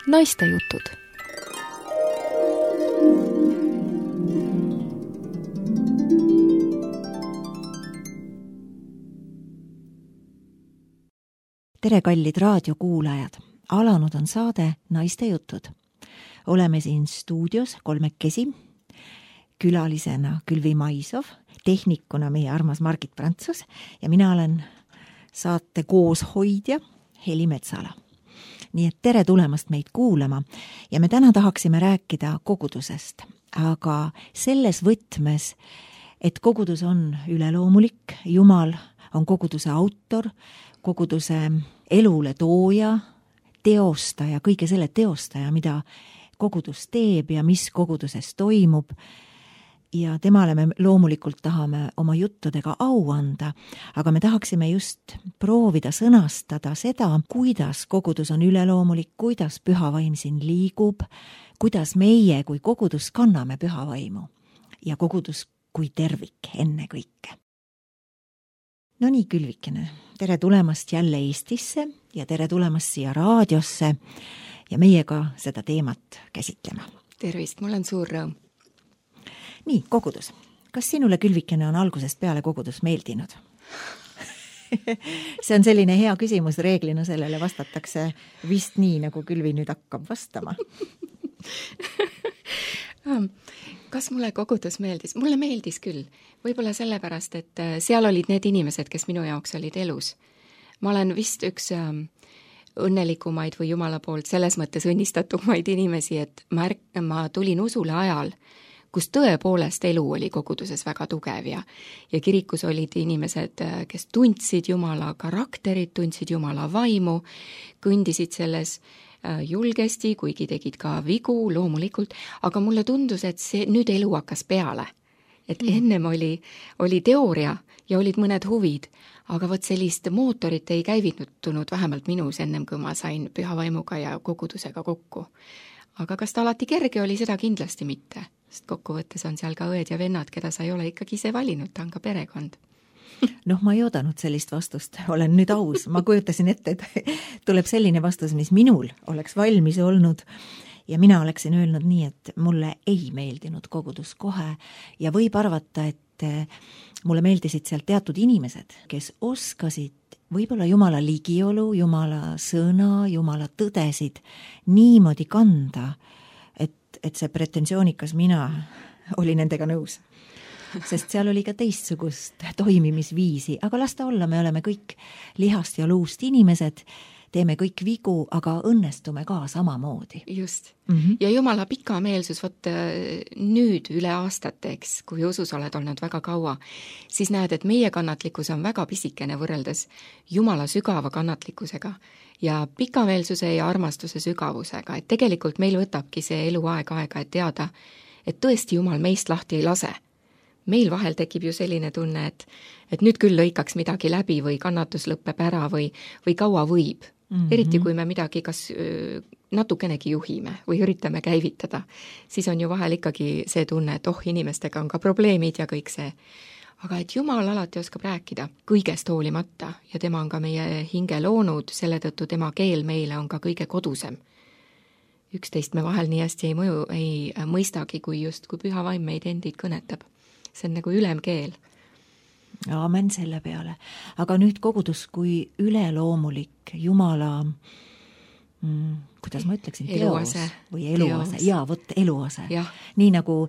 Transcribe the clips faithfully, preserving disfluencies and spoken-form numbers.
Naistejutud. Tere, kallid raadiokuulajad! Alanud on saade Naistejutud. Oleme siin stuudios kolmekesi, külalisena Külvi Maisov, tehnikuna meie armas Margit Prantsus ja mina olen saate kooshoidja Heli Metsala. Nii et tere tulemast meid kuulama ja me täna tahaksime rääkida kogudusest, aga selles võtmes, et kogudus on üleloomulik, Jumal on koguduse autor, koguduse elule tooja, teostaja, kõige selle teostaja, mida kogudus teeb ja mis koguduses toimub. Ja temale me loomulikult tahame oma juttudega au anda, aga me tahaksime just proovida sõnastada seda, kuidas kogudus on üleloomulik, kuidas püha vaim siin liigub, kuidas meie kui kogudus kanname püha vaimu ja kogudus kui tervik enne kõike. No nii, Külvikene, tere tulemast jälle Eestisse ja tere tulemast siia raadiosse ja meiega seda teemat käsitlema. Tervist, mul on suur rõõm. Nii, kogudus. Kas sinule, Külvikene, on algusest peale kogudus meeldinud? See on selline hea küsimus, reeglina sellele vastatakse vist nii, nagu Külvi nüüd hakkab vastama. Kas mulle kogudus meeldis? Mulle meeldis küll. Võib-olla sellepärast, et seal olid need inimesed, kes minu jaoks olid elus. Ma olen vist üks õnnelikumaid või Jumala poolt selles mõttes õnnistatumaid inimesi, et ma, ärk- ma tulin usule ajal, kus tõepoolest elu oli koguduses väga tugev ja, ja kirikus olid inimesed, kes tundsid Jumala karakterit, tundsid Jumala vaimu, kõndisid selles julgesti, kuigi tegid ka vigu loomulikult, aga mulle tundus, et see nüüd elu hakkas peale. Et mm. ennem oli, oli teooria ja olid mõned huvid, aga võt sellist mootorit ei käivitunud vähemalt minus ennem, kui ma sain püha vaimuga ja kogudusega kokku. Aga kas ta alati kerge oli, seda kindlasti mitte. Sest kokkuvõttes on seal ka õed ja vennad, keda sa ei ole ikkagi ise valinud, ta on ka perekond. Noh, ma ei oodanud sellist vastust, olen nüüd aus. Ma kujutasin ette, et tuleb selline vastus, mis minul oleks valmis olnud ja mina oleksin öelnud nii, et mulle ei meeldinud kogudus kohe ja võib arvata, et mulle meeldisid seal teatud inimesed, kes oskasid võib-olla Jumala ligiolu, Jumala sõna, Jumala tõdesid niimoodi kanda, et see pretensioonikas mina oli nendega nõus. Sest seal oli ka teistsugust toimimisviisi, aga las ta olla, me oleme kõik lihast ja luust inimesed, teeme kõik vigu, aga õnnestume ka samamoodi. Just. Mm-hmm. Ja Jumala pikameelsus, võt nüüd üle aastateks, kui usus oled olnud väga kaua, siis näed, et meie kannatlikkus on väga pisikene võrreldes Jumala sügava kannatlikkusega ja pikameelsuse ja armastuse sügavusega, et tegelikult meil võtabki see elu aeg-aega, et teada, et tõesti Jumal meist lahti ei lase. Meil vahel tekib ju selline tunne, et, et nüüd küll lõikaks midagi läbi või kannatus lõppeb ära või, või kaua võib. Mm-hmm. Eriti kui me midagi kas natukenegi juhime või üritame käivitada, siis on ju vahel ikkagi see tunne, et oh, inimestega on ka probleemid ja kõik see. Aga et Jumal alati oskab rääkida kõigest hoolimata ja tema on ka meie hinge loonud, selle tõttu tema keel meile on ka kõige kodusem. Üksteist me vahel nii hästi ei, mõju, ei mõistagi, kui just kui püha vaim meid endid kõnetab. See on nagu ülemkeel. Aamen selle peale. Aga nüüd kogudus kui üleloomulik Jumala, mm, kuidas ma ütleksin, teos eluase. Või eluase. Teos. Jaa, võt eluase. Ja. Nii nagu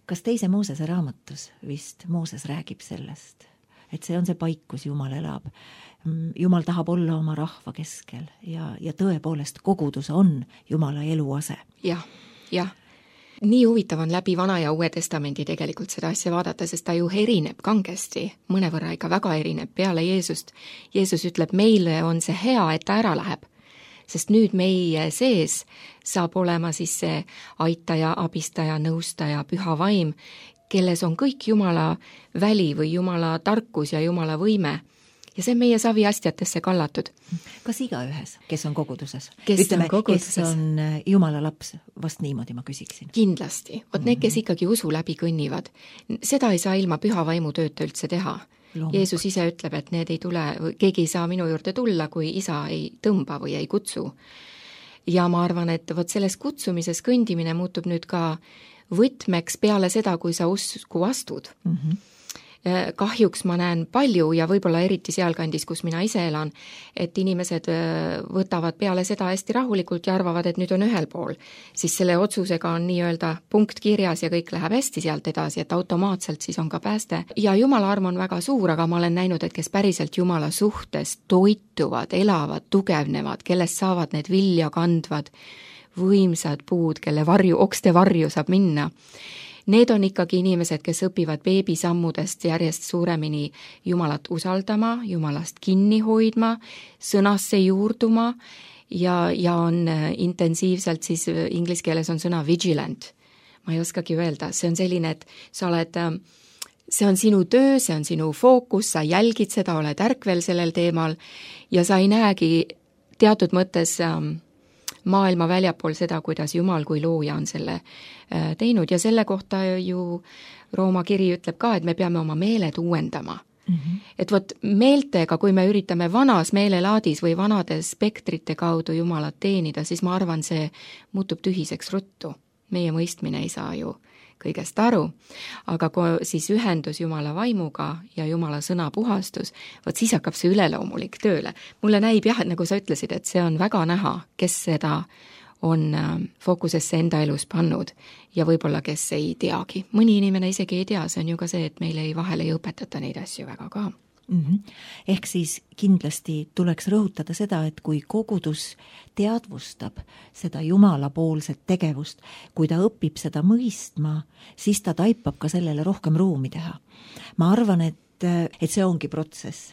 kas teise Moosese raamatus vist Mooses räägib sellest, et see on see paik, kus Jumal elab. Jumal tahab olla oma rahva keskel ja, ja tõepoolest kogudus on Jumala eluase. Jah, jah. Nii huvitav on läbi Vana ja Uue Testamendi tegelikult seda asja vaadata, sest ta ju erineb kangesti, mõnevõrra ikka väga erineb peale Jeesust. Jeesus ütleb, meile on see hea, et ta ära läheb. Sest nüüd meie sees saab olema siis see aitaja, abistaja, nõustaja, püha vaim, kelles on kõik Jumala väli või Jumala tarkus ja Jumala võime. Ja see on meie saviastjatesse kallatud. Kas igaühes, kes on koguduses? Kes Ütleme, on koguduses? Kes on Jumala laps, vast niimoodi ma küsiksin. Kindlasti. Vot need, kes ikkagi usu läbi kõnnivad, seda ei saa ilma püha vaimu tööta üldse teha. Loomulikult. Jeesus ise ütleb, et need ei tule, keegi ei saa minu juurde tulla, kui isa ei tõmba või ei kutsu. ja ma arvan, et vot selles kutsumises kõndimine muutub nüüd ka võtmeks peale seda, kui sa usku astud. Mm-hmm. Kahjuks ma näen palju ja võib-olla eriti sealkandis, kus mina ise elan, et inimesed võtavad peale seda hästi rahulikult ja arvavad, et nüüd on ühel pool. Siis selle otsusega on nii-öelda punkt kirjas ja kõik läheb hästi sealt edasi, et automaatselt siis on ka pääste. Ja Jumala arm on väga suur, aga ma olen näinud, et kes päriselt Jumala suhtes toituvad, elavad, tugevnevad, kellest saavad need vilja kandvad võimsad puud, kelle varju, okste varju saab minna. Need on ikkagi inimesed, kes õpivad beebisammudest järjest suuremini Jumalat usaldama, Jumalast kinni hoidma, sõnasse juurduma ja, ja on intensiivselt, siis inglise keeles on sõna vigilant. Ma ei oskagi öelda, see on selline, et sa oled, see on sinu töö, see on sinu fookus, sa jälgid seda, oled ärkvel sellel teemal ja sa ei näegi teatud mõttes maailma väljapool seda, kuidas Jumal kui looja on selle teinud ja selle kohta ju Rooma kiri ütleb ka, et me peame oma meeled uuendama. Mm-hmm. Et vot meeltega, kui me üritame vanas meelelaadis või vanade spektrite kaudu Jumalat teenida, siis ma arvan, see muutub tühiseks ruttu. Meie mõistmine ei saa ju kõigest aru, aga kui siis ühendus Jumala vaimuga ja Jumala sõna puhastus, vot siis hakkab see üleloomulik tööle. Mulle näib jah, et nagu sa ütlesid, et see on väga näha, kes seda on fookusesse enda elus pannud ja võib-olla kes ei teagi. Mõni inimene isegi ei tea, see on ju ka see, et meile ei vahel ei õpetata neid asju väga ka. Mm-hmm. Ehk siis kindlasti tuleks rõhutada seda, et kui kogudus teadvustab seda Jumala poolset tegevust, kui ta õpib seda mõistma, siis ta taipab ka sellele rohkem ruumi teha. Ma arvan, et, et see ongi protsess.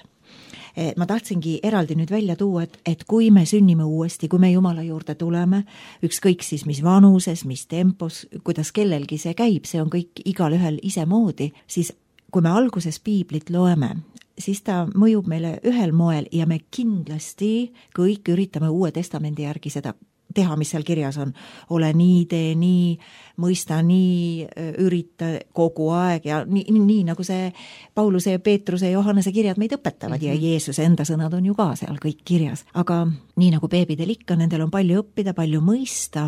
Ma tahtsingi eraldi nüüd välja tuua, et, et kui me sünnime uuesti, kui me Jumala juurde tuleme, ükskõik siis mis vanuses, mis tempos, kuidas kellelgi see käib, see on kõik igal ühel ise moodi, siis kui me alguses piiblit loeme, siis ta mõjub meile ühel moel ja me kindlasti kõik üritame Uue Testamendi järgi seda teha, mis seal kirjas on. Ole nii, tee nii, mõista nii, ürita kogu aeg ja nii, nii nagu see Pauluse, Peetruse ja Johannese kirjad meid õpetavad mm-hmm. ja Jeesuse enda sõnad on ju ka seal kõik kirjas. Aga nii nagu beebidel ikka, nendel on palju õppida, palju mõista.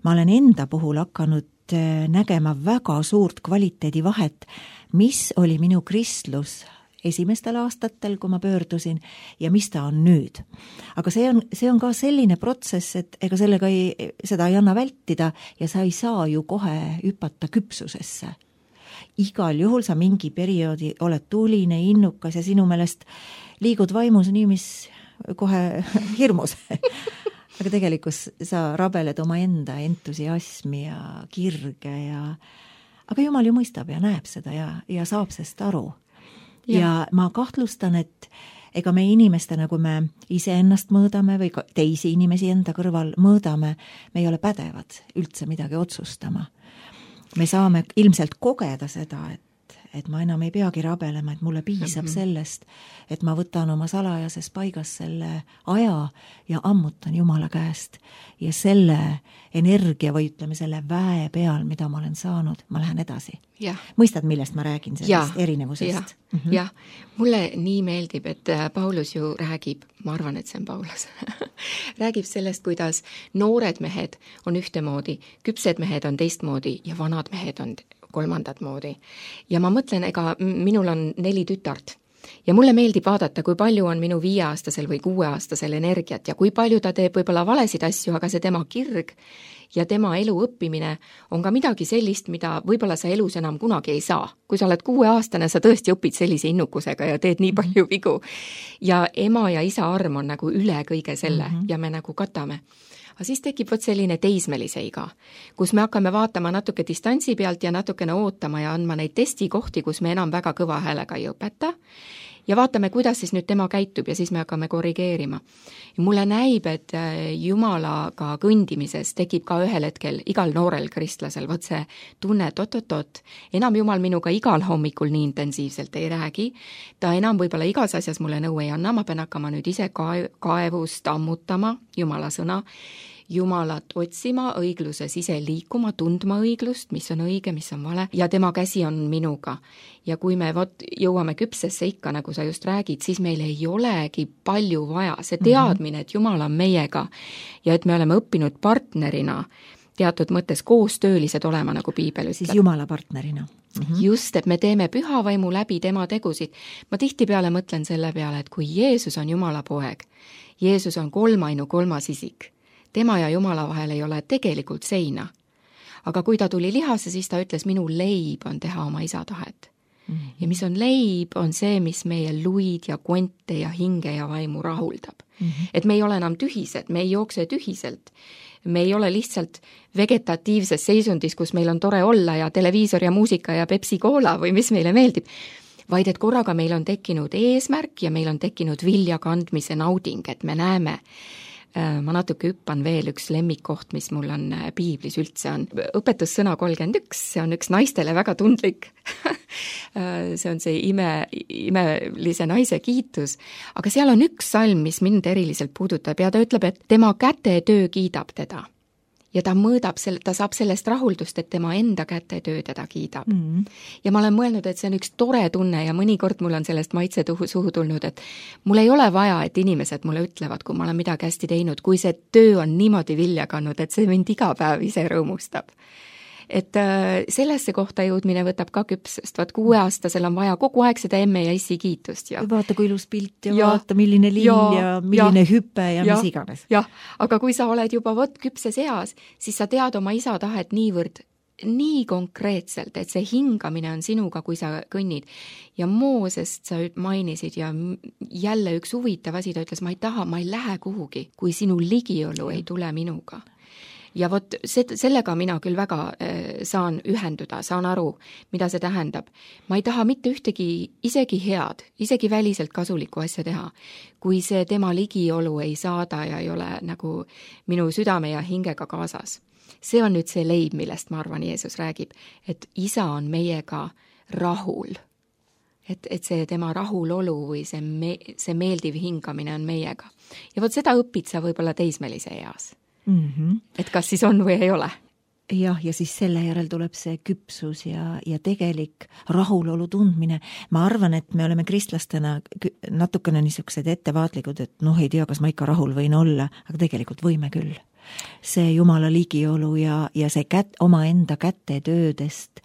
Ma olen enda puhul hakanud nägema väga suurt kvaliteedi vahet, mis oli minu kristlus esimestel aastatel, kui ma pöördusin ja mis ta on nüüd. Aga see on, see on ka selline protsess, et ega sellega ei, seda ei anna vältida ja sa ei saa ju kohe hüpata küpsusesse. Igal juhul sa mingi perioodi oled tuline, innukas ja sinu meelest liigud vaimus nii, mis kohe hirmus. Aga tegelikus sa rabeled oma enda entusiasmi ja kirge ja aga Jumal ju mõistab ja näeb seda ja, ja saab sest aru. Ja. ja ma kahtlustan, et ega me inimestena, kui me ise ennast mõõdame või teisi inimesi enda kõrval mõõdame, me ei ole pädevad üldse midagi otsustama. Me saame ilmselt kogeda seda, et, et ma enam ei peagi rabelema, et mulle piisab mm-hmm. sellest, et ma võtan oma salajases paigas selle aja ja ammutan Jumala käest ja selle energia või ütleme selle väe peal, mida ma olen saanud, ma lähen edasi. Ja. Mõistad, millest ma räägin sellest ja. erinevusest? Jah, mm-hmm. ja. Mulle nii meeldib, et Paulus ju räägib, ma arvan, et see on Paulus, räägib sellest, kuidas noored mehed on ühtemoodi, küpsed mehed on teistmoodi ja vanad mehed on kolmandat moodi. Ja ma mõtlen, ega minul on neli tütart. Ja mulle meeldib vaadata, kui palju on minu viieaastasel või kuueaastasel energiat ja kui palju ta teeb võib-olla valesid asju, aga see tema kirg ja tema elu õppimine on ka midagi sellist, mida võib-olla sa elus enam kunagi ei saa. Kui sa oled kuueaastane, sa tõesti õpid sellise innukusega ja teed nii palju vigu. Ja ema ja isa arm on nagu üle kõige selle mm-hmm. ja me nagu katame. Aga siis tekib võt selline teismelise iga, kus me hakkame vaatama natuke distantsi pealt ja natukene ootama ja andma neid testikohti, kus me enam väga kõva häälega ei õpeta ja vaatame, kuidas siis nüüd tema käitub ja siis me hakkame korrigeerima. Ja mulle näib, et Jumalaga kõndimises tekib ka ühel hetkel igal noorel kristlasel võt see tunne, et oot-oot-oot, enam Jumal minuga igal hommikul nii intensiivselt ei räägi, ta enam võib-olla igas asjas mulle nõu ei anna, ma pean hakkama nüüd ise kaevust ammutama Jumala sõna Jumalat otsima, õigluses ise liikuma, tundma õiglust, mis on õige, mis on vale ja tema käsi on minuga. Ja kui me vot jõuame küpsesse ikka, nagu sa just räägid, siis meil ei olegi palju vaja. See teadmine, et Jumal on meiega ja et me oleme õppinud partnerina teatud mõttes koostöölised olema, nagu piibel ütleb. Siis Jumala partnerina. Mm-hmm. Just, et me teeme püha vaimu läbi tema tegusid. Ma tihtipeale mõtlen selle peale, et kui Jeesus on Jumala poeg, Jeesus on kolmainu kolmas isik, tema ja Jumala vahel ei ole tegelikult seina. Aga kui ta tuli lihasse, siis ta ütles, minu leib on teha oma isa tahet. Mm-hmm. Ja mis on leib, on see, mis meie luid ja konte ja hinge ja vaimu rahuldab. Mm-hmm. Et me ei ole enam tühised, me ei jookse tühiselt. Me ei ole lihtsalt vegetatiivses seisundis, kus meil on tore olla ja televiisor ja muusika ja Pepsi Cola või mis meile meeldib, vaid et korraga meil on tekkinud eesmärk ja meil on tekkinud vilja kandmise nauding, et me näeme. Ma natuke hüppan veel üks lemmikkoht, mis mul on piiblis üldse on. Õpetussõna kolmkümmend üks, see on üks naistele väga tundlik. See on see ime, imelise naise kiitus. Aga seal on üks salm, mis mind eriliselt puudutab ja ta ütleb, et tema kätetöö kiidab teda. Ja ta mõõdab, ta saab sellest rahuldust, et tema enda kätetöö teda kiidab. Mm. Ja ma olen mõelnud, et see on üks tore tunne ja mõnikord mul on sellest maitse suhu tulnud, et mul ei ole vaja, et inimesed mulle ütlevad, kui ma olen midagi hästi teinud, kui see töö on niimoodi vilja kannud, et see mind iga päev ise rõõmustab. Et sellesse kohta jõudmine võtab ka küpsest, vaat kuueaastasel on vaja kogu aeg seda emme ja issi kiitust. Ja vaata, kui ilus pilt ja, ja vaata, milline lill ja, ja milline ja, hüpe ja, ja mis iganes. Jah, aga kui sa oled juba võt küpses eas, siis sa tead oma isa tahet niivõrd nii konkreetselt, et see hingamine on sinuga, kui sa kõnnid. Ja Moosest sa mainisid ja jälle üks huvitav asi, ta ütles, ma ei taha, ma ei lähe kuhugi, kui sinu ligiolu ei tule minuga. Ja vot sellega mina küll väga saan ühenduda, saan aru, mida see tähendab. Ma ei taha mitte ühtegi isegi head, isegi väliselt kasulikku asja teha, kui see tema ligiolu ei saada ja ei ole nagu minu südame ja hingega kaasas. See on nüüd see leib, millest ma arvan, Jeesus räägib, et isa on meiega rahul. Et, et see tema rahulolu või see, me, see meeldiv hingamine on meiega. Ja vot seda õpid sa võib-olla teismelise eas. Mm-hmm. Et kas siis on või ei ole? Jah, ja siis selle järel tuleb see küpsus ja, ja tegelik rahulolu tundmine. Ma arvan, et me oleme kristlastena natukene niisugused ettevaatlikud, et noh, ei tea, kas ma ikka rahul võin olla, aga tegelikult võime küll. See Jumala ligiolu ja, ja see kät, oma enda kätetöödest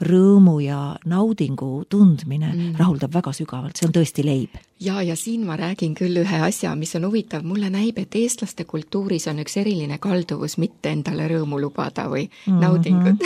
rõõmu ja naudingu tundmine mm. rahuldab väga sügavalt, see on tõesti leib. Ja, ja siin ma räägin küll ühe asja, mis on huvitav. Mulle näib, et eestlaste kultuuris on üks eriline kalduvus mitte endale rõõmu lubada või mm-hmm. naudingut.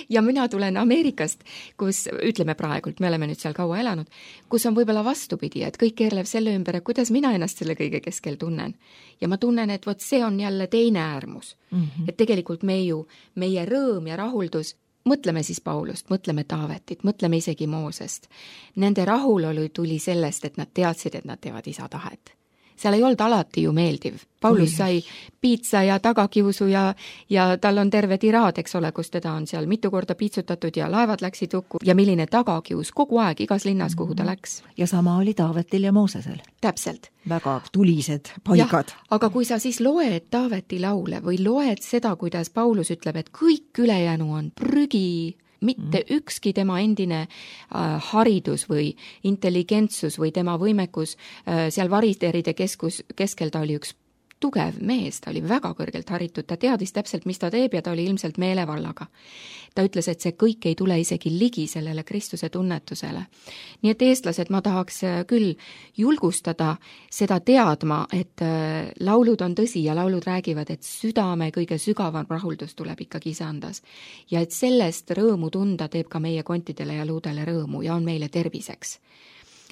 Ja mina tulen Ameerikast, kus, ütleme praegult, me oleme nüüd seal kaua elanud, kus on võib-olla vastupidi, et kõik keerlev selle ümber, kuidas mina ennast selle kõige keskel tunnen. Ja ma tunnen, et vot see on jälle teine äärmus. Mm-hmm. Et tegelikult me ju, meie rõõm ja rahuldus, mõtleme siis Paulust, mõtleme Taavetit, mõtleme isegi Moosest. Nende rahulolu tuli sellest, et nad teadsid, et nad teevad isa tahet. Seal ei olnud alati ju meeldiv. Paulus sai piitsa ja tagakiusu ja, ja tal on terve tiraad, eks ole, kus teda on seal mitu korda piitsutatud ja laevad läksid hukku. Ja milline tagakius kogu aeg igas linnas, kuhu ta läks. Ja sama oli Taavetil ja Moosesel. Täpselt. Väga tulised paigad. Ja, aga kui sa siis loed Taaveti laule või loed seda, kuidas Paulus ütleb, et kõik ülejäänu on prügi, mitte mm. ükski tema endine äh, haridus või intelligentsus või tema võimekus äh, seal variteride keskus, keskel ta oli üks tugev mees, ta oli väga kõrgelt haritud, ta teadis täpselt, mis ta teeb ja ta oli ilmselt meelevallaga. Ta ütles, et see kõik ei tule isegi ligi sellele Kristuse tunnetusele. Nii et eestlased, ma tahaks küll julgustada seda teadma, et laulud on tõsi ja laulud räägivad, et südame kõige sügavam rahuldus tuleb ikkagi isandas. Ja et sellest rõõmu tunda teeb ka meie kontidele ja luudele rõõmu ja on meile terviseks.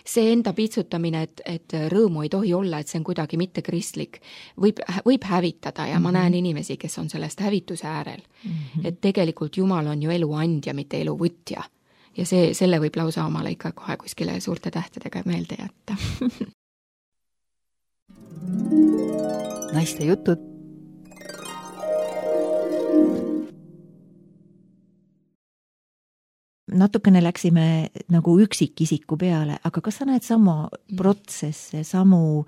See enda piitsutamine, et, et rõõmu ei tohi olla, et see on kuidagi mitte kristlik, võib, võib hävitada ja mm-hmm. ma näen inimesi, kes on sellest hävituse äärel. Mm-hmm. Et tegelikult Jumal on ju elu andja, mitte elu võtja. Ja see, selle võib lausa omale ikka kohe kuskile suurte tähtedega meelde jätta. Naiste jutud. Natukene läksime nagu üksikisiku peale, aga kas sa näed samu protsesse, samu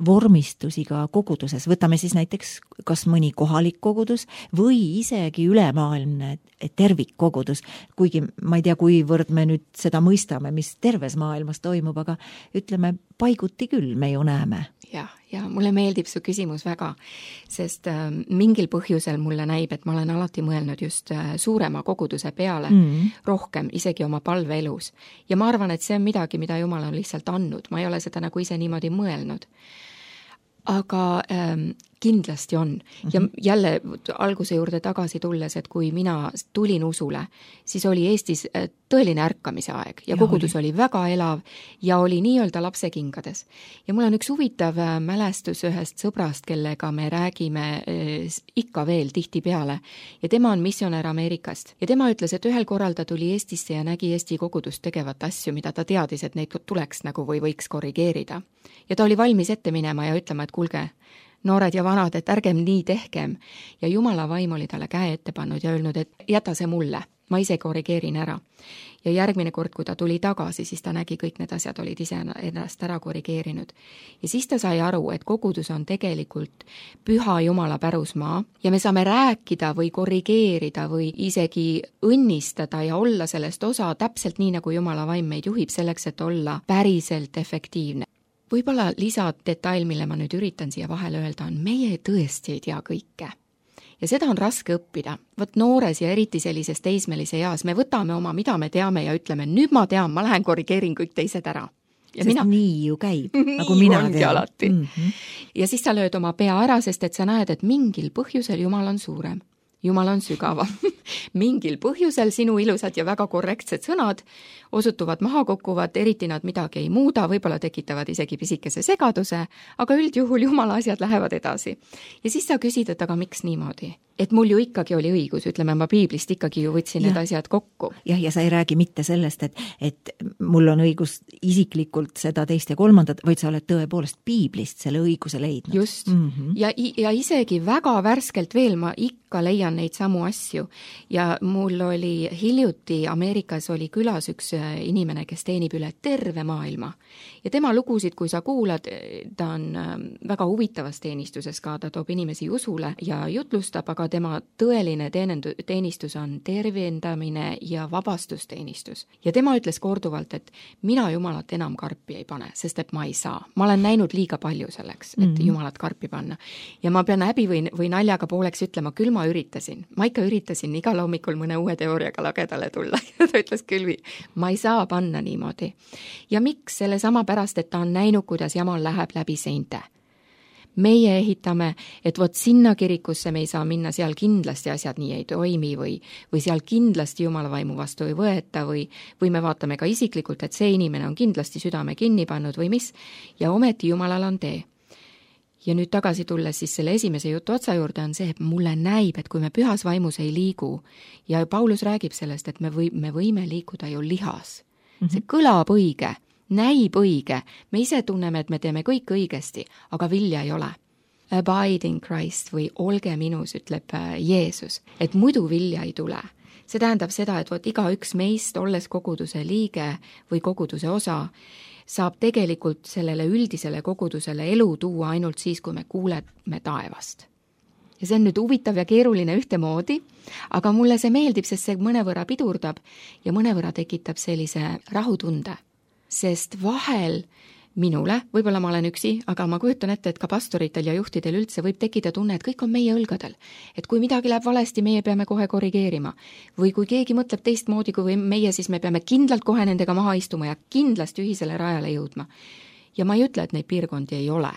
vormistusi ka koguduses, võtame siis näiteks kas mõni kohalik kogudus või isegi ülemaailmne tervikkogudus, kuigi ma ei tea, kuivõrd me nüüd seda mõistame, mis terves maailmas toimub, aga ütleme, paiguti küll me ju näeme. jah, ja mulle meeldib su küsimus väga, sest äh, mingil põhjusel mulle näib, et ma olen alati mõelnud just äh, suurema koguduse peale mm. rohkem, isegi oma palveelus. Ja ma arvan, et see on midagi, mida Jumal on lihtsalt andnud. Ma ei ole seda nagu ise niimoodi mõelnud. Aga ähm, kindlasti on. Ja jälle alguse juurde tagasi tulles, et kui mina tulin usule, siis oli Eestis tõeline ärkamise aeg ja, ja kogudus oli. oli väga elav ja oli nii-öelda lapsekingades. Ja mul on üks huvitav mälestus ühest sõbrast, kellega me räägime ikka veel tihti peale. Ja tema on missionär Ameerikast. Ja tema ütles, et ühel korral ta tuli Eestisse ja nägi Eesti kogudust tegevat asju, mida ta teadis, et neid tuleks nagu või võiks korrigeerida. Ja ta oli valmis ette minema ja ütlema, et kuulge, noored ja vanad, et ärgem nii tehkem. Ja Jumala vaim oli talle käe ette pannud ja öelnud, et jäta see mulle, ma ise korrigeerin ära. Ja järgmine kord, kui ta tuli tagasi, siis ta nägi kõik need asjad olid ise ennast ära korrigeerinud. Ja siis ta sai aru, et kogudus on tegelikult püha Jumala pärusmaa ja me saame rääkida või korrigeerida või isegi õnnistada ja olla sellest osa täpselt nii, nagu Jumala vaim meid juhib selleks, et olla päriselt efektiivne. Võib-olla lisadetail, mille ma nüüd üritan siia vahele öelda, on meie tõesti ei tea kõike. Ja seda on raske õppida. Võt noores ja eriti sellises teismelise eas me võtame oma, mida me teame ja ütleme, nüüd ma tean, ma lähen korrigeerin kõik teised ära. Ja sest mina... nii ju käib, nagu mina tean. Mm -hmm. Ja siis sa lööd oma pea ära, sest et sa näed, et mingil põhjusel Jumal on suurem. Jumal on sügavam. Mingil põhjusel sinu ilusad ja väga korrektsed sõnad osutuvad maha kukkuvad, eriti nad midagi ei muuda, võib-olla tekitavad isegi pisikese segaduse, aga üldjuhul Jumala asjad lähevad edasi. Ja siis sa küsid, et aga miks niimoodi? Et mul ju ikkagi oli õigus, ütleme, ma piiblist ikkagi ju võtsin ja. need asjad kokku. Jah, ja sa ei räägi mitte sellest, et, et mul on õigus isiklikult seda teist ja kolmandat, vaid sa oled tõepoolest piiblist selle õiguse leidnud. Just. Mm -hmm. ja, ja isegi väga värskelt veel ma ikka leian neid samu asju. Ja mul oli hiljuti Ameerikas oli külas üks inimene, kes teenib üle terve maailma. Ja tema lugusid, kui sa kuulad, ta on väga huvitavas teenistuses ka, ta toob inimesi usule ja jutlustab, aga tema tõeline teenendu- teenistus on tervendamine ja vabastusteenistus. Ja tema ütles korduvalt, et mina Jumalat enam karpi ei pane, sest et ma ei saa. Ma olen näinud liiga palju selleks, et mm-hmm. Jumalat karpi panna. Ja ma pean häbi või, või naljaga pooleks ütlema, küll ma üritasin. Ma ikka üritasin igal hommikul mõne uue teooriaga lagedale tulla. Ja ta ütles küll, ma ei saa panna niimoodi. Ja miks? Selle sama pärast, et ta on näinud, kuidas jamal läheb läbi seinte. Meie ehitame, et vot sinna kirikusse me ei saa minna, seal kindlasti asjad nii ei toimi või, või seal kindlasti Jumala vaimu vastu ei võeta või, või me vaatame ka isiklikult, et see inimene on kindlasti südame kinni pannud või mis, ja ometi Jumalal on tee. Ja nüüd tagasi tulles siis selle esimese jutu otsa juurde on see, et mulle näib, et kui me pühas vaimus ei liigu, ja Paulus räägib sellest, et me, või, me võime liikuda ju lihas. Mm-hmm. See kõlab õige, näib õige, me ise tunneme, et me teeme kõik õigesti, aga vilja ei ole. Abide in Christ või olge minus, ütleb Jeesus, et muidu vilja ei tule. See tähendab seda, et vot iga üks meist, olles koguduse liige või koguduse osa, saab tegelikult sellele üldisele kogudusele elu tuua ainult siis, kui me kuuleme taevast. Ja see on nüüd huvitav ja keeruline ühtemoodi, aga mulle see meeldib, sest see mõnevõrra pidurdab ja mõnevõrra tekitab sellise rahutunde. Sest vahel minule, võib-olla ma olen üksi, aga ma kujutan ette, et ka pastoritel ja juhtidel üldse võib tekkida tunne, et kõik on meie õlgadel. Et kui midagi läheb valesti, meie peame kohe korrigeerima. Või kui keegi mõtleb teistmoodi kui meie, siis me peame kindlalt kohe nendega maha istuma ja kindlasti ühisele rajale jõudma. Ja ma ei ütle, et neid piirkondi ei ole.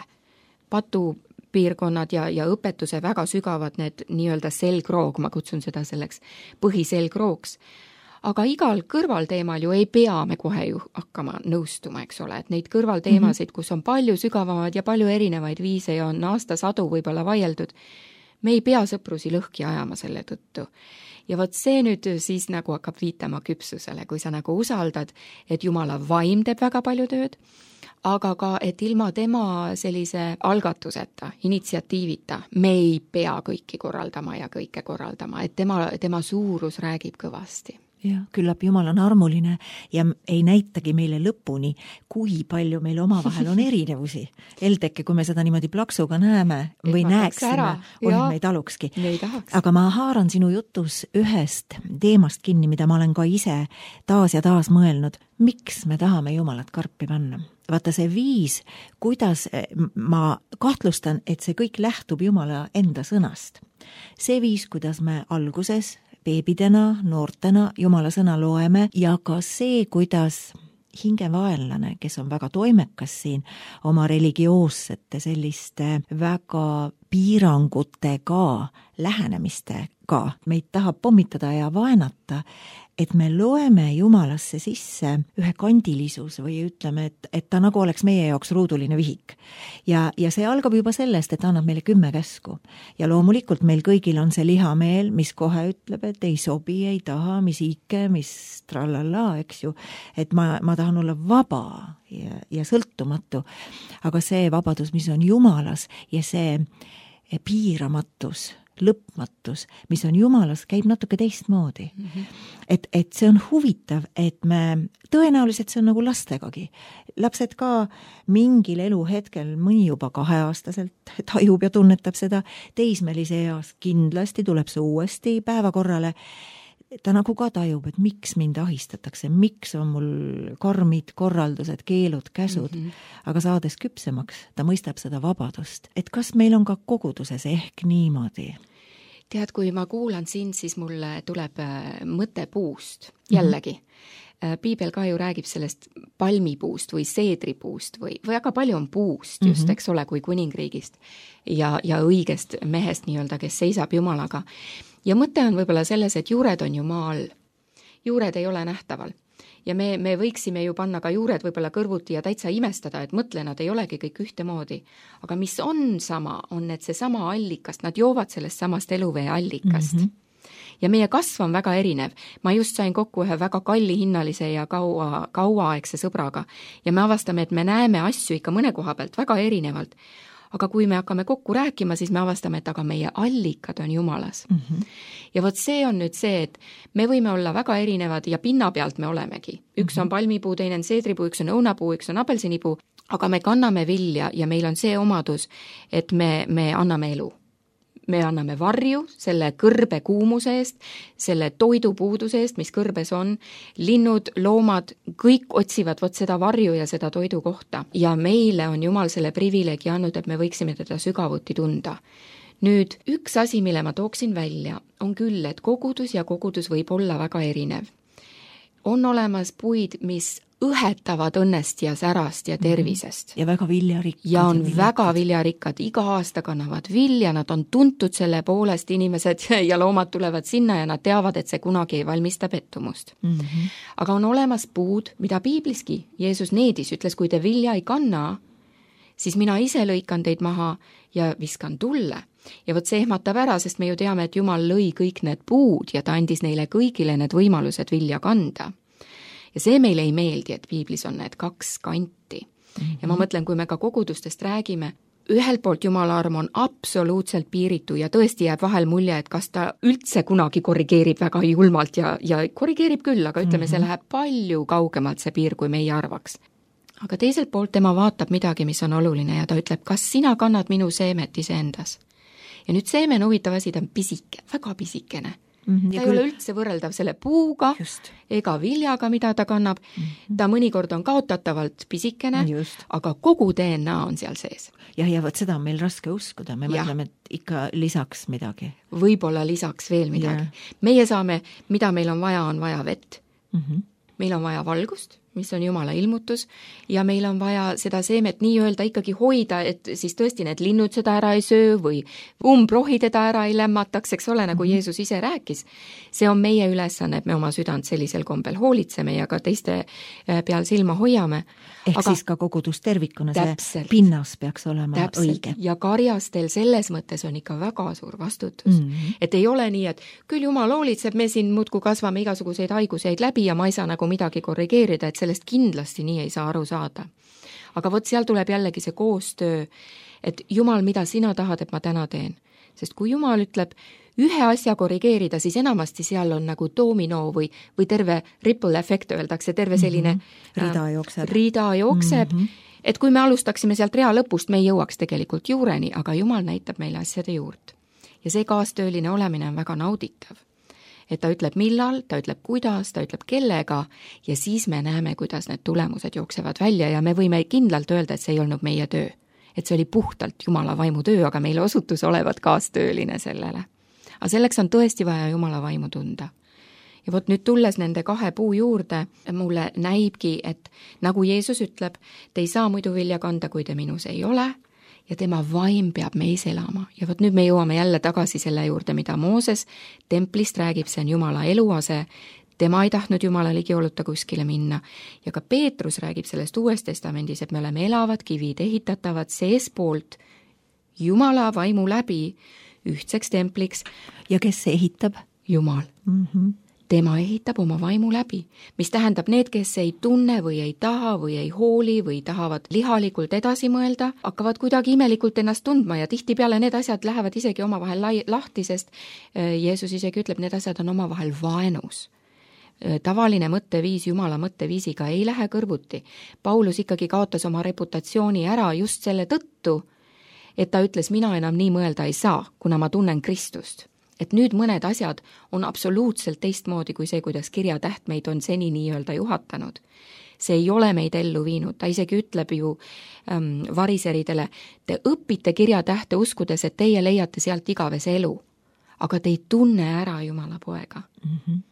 Patu piirkonnad ja, ja õpetuse väga sügavad need nii-öelda selgroog, ma kutsun seda selleks põhiselgrooks. Aga igal kõrvalteemal ju ei pea me kohe ju hakkama nõustuma, eks ole, et neid kõrvalteemasid, kus on palju sügavamad ja palju erinevaid viise ja on aastasadu võib-olla vaieldud, me ei pea sõprusi lõhki ajama selle tõttu. Ja vot see nüüd siis nagu hakkab viitama küpsusele, kui sa nagu usaldad, et Jumala vaim teeb väga palju tööd, aga ka, et ilma tema sellise algatuseta, initsiatiivita, me ei pea kõiki korraldama ja kõike korraldama, et tema, tema suurus räägib kõvasti. Ja, küllap Jumal on armuline ja ei näitagi meile lõpuni, kui palju meil omavahel on erinevusi. Eldeke, kui me seda niimoodi plaksuga näeme või näeksime, oi, me ei talukski. Me ei aga ma haaran sinu jutus ühest teemast kinni, mida ma olen ka ise taas ja taas mõelnud. Miks me tahame Jumalat karpi panna? Vaata see viis, kuidas ma kahtlustan, et see kõik lähtub Jumala enda sõnast. See viis, kuidas me alguses beebidena, noortena Jumala sõna loeme ja ka see, kuidas hingevaenlane, kes on väga toimekas siin oma religioossete selliste väga piirangutega lähenemistega, meid tahab pommitada ja vaenata, et me loeme Jumalasse sisse ühe kandilisus või ütleme, et, et ta nagu oleks meie jaoks ruuduline vihik. Ja, ja see algab juba sellest, et annab meile kümme käsku. Ja loomulikult meil kõigil on see lihameel, mis kohe ütleb, et ei sobi, ei taha, mis ike, mis trallala, eks ju. Et ma, ma tahan olla vaba ja, ja sõltumatu. Aga see vabadus, mis on Jumalas ja see piiramatus, lõpmatus, mis on Jumalas, käib natuke teistmoodi. Mm-hmm. Et, et see on huvitav, et me, tõenäoliselt see on nagu lastegagi. Lapsed ka mingil eluhetkel, mõni juba kaheaastaselt tajub ja tunnetab seda, teismelise eas kindlasti tuleb see uuesti päevakorrale. Ta nagu ka tajub, et miks mind ahistatakse, miks on mul karmid, korraldused, keelud, käsud, mm-hmm. aga saades küpsemaks, ta mõistab seda vabadust. Et kas meil on ka koguduses ehk niimoodi? Tead, kui ma kuulan sind, siis mulle tuleb mõte puust jällegi. Mm-hmm. Piibel ka ju räägib sellest palmipuust või seedripuust või, või väga palju on puust just, mm-hmm. eks ole, kui kuningriigist ja, ja õigest mehest nii-öelda, kes seisab Jumalaga. Ja mõte on võib-olla selles, et juured on ju maal. Juured ei ole nähtaval. Ja me, me võiksime ju panna ka juured võib-olla kõrvuti ja täitsa imestada, et mõtle, nad ei olegi kõik ühtemoodi. Aga mis on sama, on, et see sama allikast, nad joovad sellest samast eluvee allikast. Mm-hmm. Ja meie kasv on väga erinev. Ma just sain kokku ühe väga kalli hinnalise ja kaua, kauaaegse sõbraga. Ja me avastame, et me näeme asju ikka mõne koha pealt väga erinevalt. Aga kui me hakkame kokku rääkima, siis me avastame, et aga meie allikad on Jumalas. Mm-hmm. Ja vot see on nüüd see, et me võime olla väga erinevad ja pinna pealt me olemegi. Üks on palmipuu, teine on seedripuu, üks on õunapuu, üks on apelsinipuu, aga me kanname vilja ja meil on see omadus, et me, me anname elu. Me anname varju selle kõrbe kuumuse eest, selle toidupuuduse eest, mis kõrbes on. Linnud, loomad, kõik otsivad vot seda varju ja seda toidu kohta. Ja meile on Jumal selle privileegi andnud, et me võiksime teda sügavuti tunda. Nüüd, üks asi, mille ma tooksin välja, on küll, et kogudus ja kogudus võib olla väga erinev. On olemas puid, mis õhetavad õnnest ja särast ja tervisest. Ja väga viljarikkad. Ja on ja väga viljarikkad. Iga aasta kannavad vilja, nad on tuntud selle poolest, inimesed ja loomad tulevad sinna ja nad teavad, et see kunagi ei valmista pettumust. Mm-hmm. Aga on olemas puud, mida piibliski Jeesus needis, ütles, kui te vilja ei kanna, siis mina ise lõikan teid maha ja viskan tulle. Ja vot see ehmatab ära, sest me ju teame, et Jumal lõi kõik need puud ja ta andis neile kõigile need võimalused vilja kanda. Ja see meile ei meeldi, et piiblis on need kaks kanti. Mm-hmm. Ja ma mõtlen, kui me ka kogudustest räägime, ühelt poolt Jumala arm on absoluutselt piiritu ja tõesti jääb vahel mulje, et kas ta üldse kunagi korrigeerib väga julmalt ja, ja korrigeerib küll, aga ütleme, mm-hmm. see läheb palju kaugemalt see piir, kui meie arvaks. Aga teiselt poolt tema vaatab midagi, mis on oluline ja ta ütleb, kas sina kannad minu seemet iseendas? Ja nüüd seemen huvitav asi, ta on pisike, väga pisikene. Mm-hmm. Ta ei küll... ole üldse võrreldav selle puuga Just. ega viljaga, mida ta kannab. Mm-hmm. Ta mõnikord on kaotatavalt pisikene, Just. aga kogu D N A on seal sees. Ja, ja võt seda on meil raske uskuda. Me ja. mõtleme, et ikka lisaks midagi. Võib-olla lisaks veel midagi. Ja. Meie saame, mida meil on vaja, on vaja vett. Mm-hmm. Meil on vaja valgust, mis on Jumala ilmutus, ja meil on vaja seda seemet nii-öelda ikkagi hoida, et siis tõesti need linnud seda ära ei söö või umbrohi teda ära ei lämmataks, eks ole, nagu mm-hmm. Jeesus ise rääkis. See on meie ülesanne, et me oma südant sellisel kombel hoolitseme ja ka teiste peal silma hoiame. Ehk Aga, siis ka kogudus tervikuna, see pinnas peaks olema täpselt. Õige. Ja karjastel selles mõttes on ikka väga suur vastutus. Mm-hmm. Et ei ole nii, et küll Jumal hoolitseb, me siin muudkui kasvame igasuguseid haiguseid läbi ja ma ei saa nagu midagi korrigeerida, et sellest kindlasti nii ei saa aru saada. Aga vot seal tuleb jällegi see koostöö, et Jumal, mida sina tahad, et ma täna teen. Sest kui Jumal ütleb, ühe asja korrigeerida, siis enamasti seal on nagu domino või, või terve ripple efekt, öeldakse, terve selline mm-hmm. rida jookseb, rida jookseb mm-hmm. et kui me alustaksime sealt rea lõpust, me ei jõuaks tegelikult juureni, aga Jumal näitab meile asjade juurt. Ja see kaastööline olemine on väga nauditav. Et ta ütleb millal, ta ütleb kuidas, ta ütleb kellega ja siis me näeme, kuidas need tulemused jooksevad välja ja me võime kindlalt öelda, et see ei olnud meie töö. Et see oli puhtalt Jumala vaimu töö, aga meile osutus olevat kaastööline sellele. Aga selleks on tõesti vaja Jumala vaimu tunda. Ja vot nüüd tulles nende kahe puu juurde, mulle näibki, et nagu Jeesus ütleb, te ei saa muidu vilja kanda, kui te minus ei ole, ja tema vaim peab meis elama. Ja vot nüüd me jõuame jälle tagasi selle juurde, mida Mooses templist räägib, see on Jumala eluase, tema ei tahtnud Jumala ligioluta kuskile minna. Ja ka Peetrus räägib sellest Uues Testamendis, et me oleme elavad kivid, ehitatavad seespoolt Jumala vaimu läbi ühtseks templiks. Ja kes see ehitab? Jumal. Mm-hmm. Tema ehitab oma vaimu läbi, mis tähendab need, kes ei tunne või ei taha või ei hooli või tahavad lihalikult edasi mõelda, hakkavad kuidagi imelikult ennast tundma ja tihtipeale need asjad lähevad isegi omavahel lai- lahti, sest Jeesus isegi ütleb, need asjad on omavahel vaenus. Tavaline mõtteviis Jumala mõtteviisiga ei lähe kõrvuti. Paulus ikkagi kaotas oma reputatsiooni ära just selle tõttu, et ta ütles, mina enam nii mõelda ei saa, kuna ma tunnen Kristust. Et nüüd mõned asjad on absoluutselt teistmoodi kui see, kuidas kirjatäht meid on seni nii-öelda juhatanud. See ei ole meid ellu viinud, ta isegi ütleb ju ähm, variseridele, te õpite kirjatähte uskudes, et teie leiate sealt igavese elu, aga te ei tunne ära Jumala poega. Mm-hmm.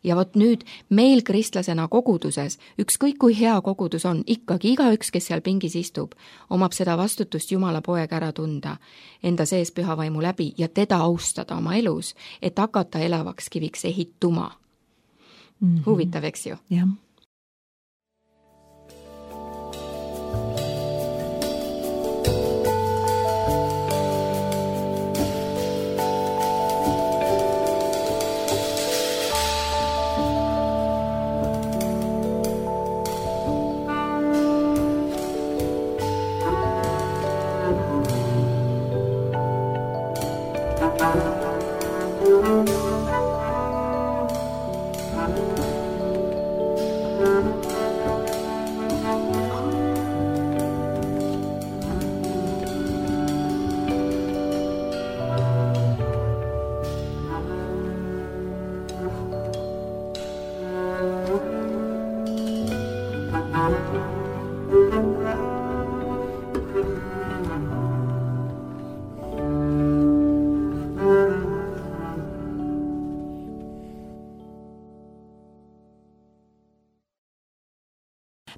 Ja vot nüüd meil kristlasena koguduses, ükskõik kui hea kogudus on, ikkagi igaüks, kes seal pingis istub, omab seda vastutust Jumala poega ära tunda, enda sees püha vaimu läbi ja teda austada oma elus, et hakata elavaks kiviks ehituma. Mm-hmm. Huvitav, eks ju? Jah.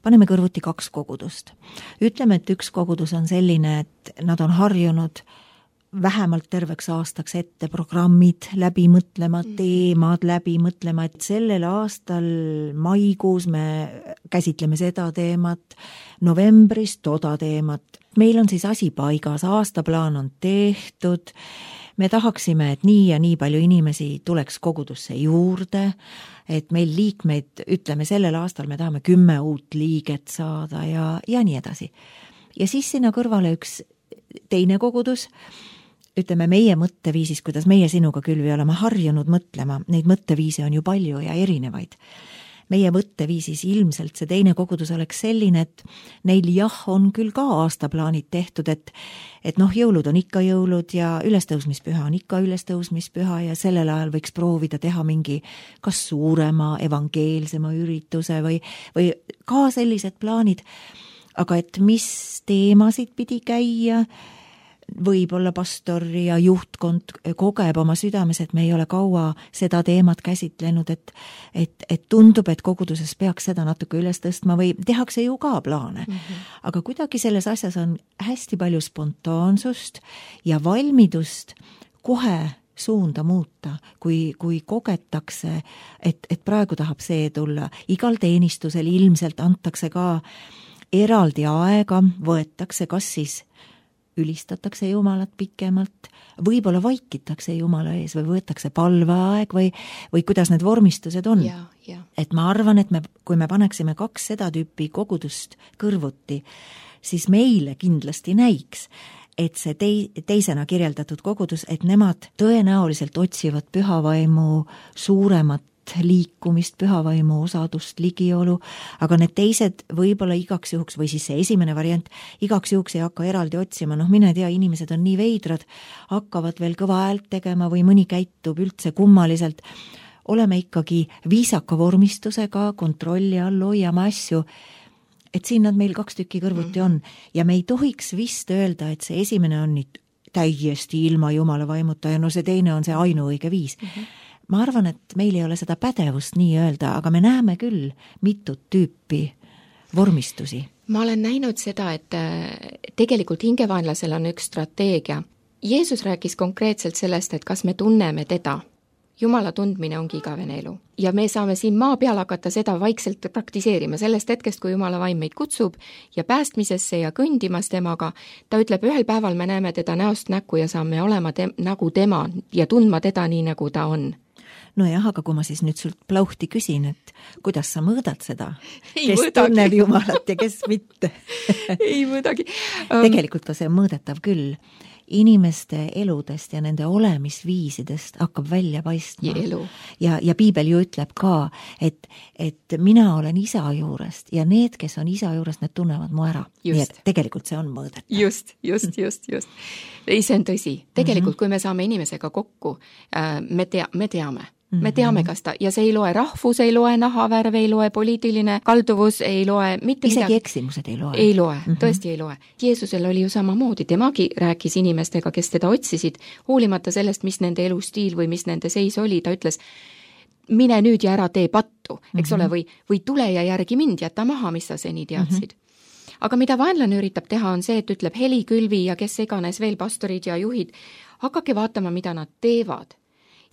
Paneme kõrvuti kaks kogudust. Ütleme, et üks kogudus on selline, et nad on harjunud vähemalt terveks aastaks ette programmid läbi mõtlema, teemad läbi mõtlema, et sellel aastal maikuus me käsitleme seda teemat, novembris toda teemat. Meil on siis asi paigas, aastaplaan on tehtud, me tahaksime, et nii ja nii palju inimesi tuleks kogudusse juurde, et meil liikmeid, ütleme sellel aastal me tahame kümme uut liiget saada ja, ja nii edasi. Ja siis sinna kõrvale üks teine kogudus, ütleme meie mõtteviisis, kuidas meie sinuga küll või oleme harjunud mõtlema, neid mõtteviise on ju palju ja erinevaid. Meie mõtteviisis ilmselt see teine kogudus oleks selline, et neil jah, on küll ka aastaplaanid tehtud, et, et noh, jõulud on ikka jõulud ja ülestõusmispüha on ikka ülestõusmispüha ja sellel ajal võiks proovida teha mingi kas suurema evangeelsema ürituse või, või ka sellised plaanid, aga et mis teemasid pidi käia, võib-olla pastor ja juhtkond kogeb oma südames, et me ei ole kaua seda teemat käsitlenud, et, et, et tundub, et koguduses peaks seda natuke üles tõstma või tehakse ju ka plaane. Mm-hmm. Aga kuidagi selles asjas on hästi palju spontaansust ja valmidust kohe suunda muuta, kui, kui kogetakse, et, et praegu tahab see tulla. Igal teenistusel ilmselt antakse ka eraldi aega, võetakse kas siis ülistatakse Jumalat pikemalt, võib-olla vaikitakse Jumala ees või võetakse palveaeg või, või kuidas need vormistused on. Ja, ja. Et ma arvan, et me, kui me paneksime kaks seda tüüpi kogudust kõrvuti, siis meile kindlasti näiks, et see tei-, teisena kirjeldatud kogudus, et nemad tõenäoliselt otsivad pühavaimu suuremat liikumist, pühavaimu osadust, ligiolu, aga need teised võib-olla igaks juhuks, või siis see esimene variant, igaks juhuks ei hakka eraldi otsima, noh mine tea, inimesed on nii veidrad, hakkavad veel kõva häält tegema või mõni käitub üldse kummaliselt, oleme ikkagi viisaka vormistusega, kontrolli all hoiame asju, et siin nad meil kaks tükki kõrvuti on ja me ei tohiks vist öelda, et see esimene on nüüd täiesti ilma Jumala vaimuta ja no see teine on see ainuõige viis. Mm-hmm. Ma arvan, et meil ei ole seda pädevust nii öelda, aga me näeme küll mitut tüüpi vormistusi. Ma olen näinud seda, et tegelikult hingevaenlasel on üks strateegia. Jeesus rääkis konkreetselt sellest, et kas me tunneme teda. Jumala tundmine ongi igavene elu. Ja me saame siin maa peal hakata seda vaikselt praktiseerima sellest hetkest, kui Jumala vaim meid kutsub ja päästmisesse ja kõndimas temaga. Ta ütleb, ühel päeval me näeme teda näost näkku ja saame olema te- nagu tema ja tundma teda nii, nagu ta on. No jah, aga kui ma siis nüüd sult plauhti küsin, et kuidas sa mõõdad seda, ei kes mõõdagi. tunneb Jumalat ja kes mitte? ei mõõdagi. Um... Tegelikult on see mõõdetav küll. Inimeste eludest ja nende olemisviisidest hakkab välja paistma. Ja, ja, ja Piibel ju ütleb ka, et, et mina olen isa juurest ja need, kes on isa juurest, need tunnevad mu ära. Nii et tegelikult see on mõõdetav. Just, just, just, just. Ei, see on tõsi. Tegelikult, mm-hmm. kui me saame inimesega kokku, me, tea, me teame. Me teame, kas ta, ja see ei loe rahvus, ei loe nahavärv, ei loe poliitiline kalduvus, ei loe mitte isegi midagi. Eksimused ei loe. Ei loe, mm-hmm. tõesti ei loe. Jeesusel oli ju samamoodi, temagi rääkis inimestega, kes teda otsisid, hoolimata sellest, mis nende elustiil või mis nende seis oli, ta ütles, mine nüüd ja ära tee pattu, eks mm-hmm. ole, või, või tule ja järgi mind, jäta maha, mis sa seni teadsid. Mm-hmm. Aga mida vaenlane üritab teha, on see, et ütleb Heli Külvi ja kes iganes veel pastorid ja juhid, hakake vaatama, mida nad teevad.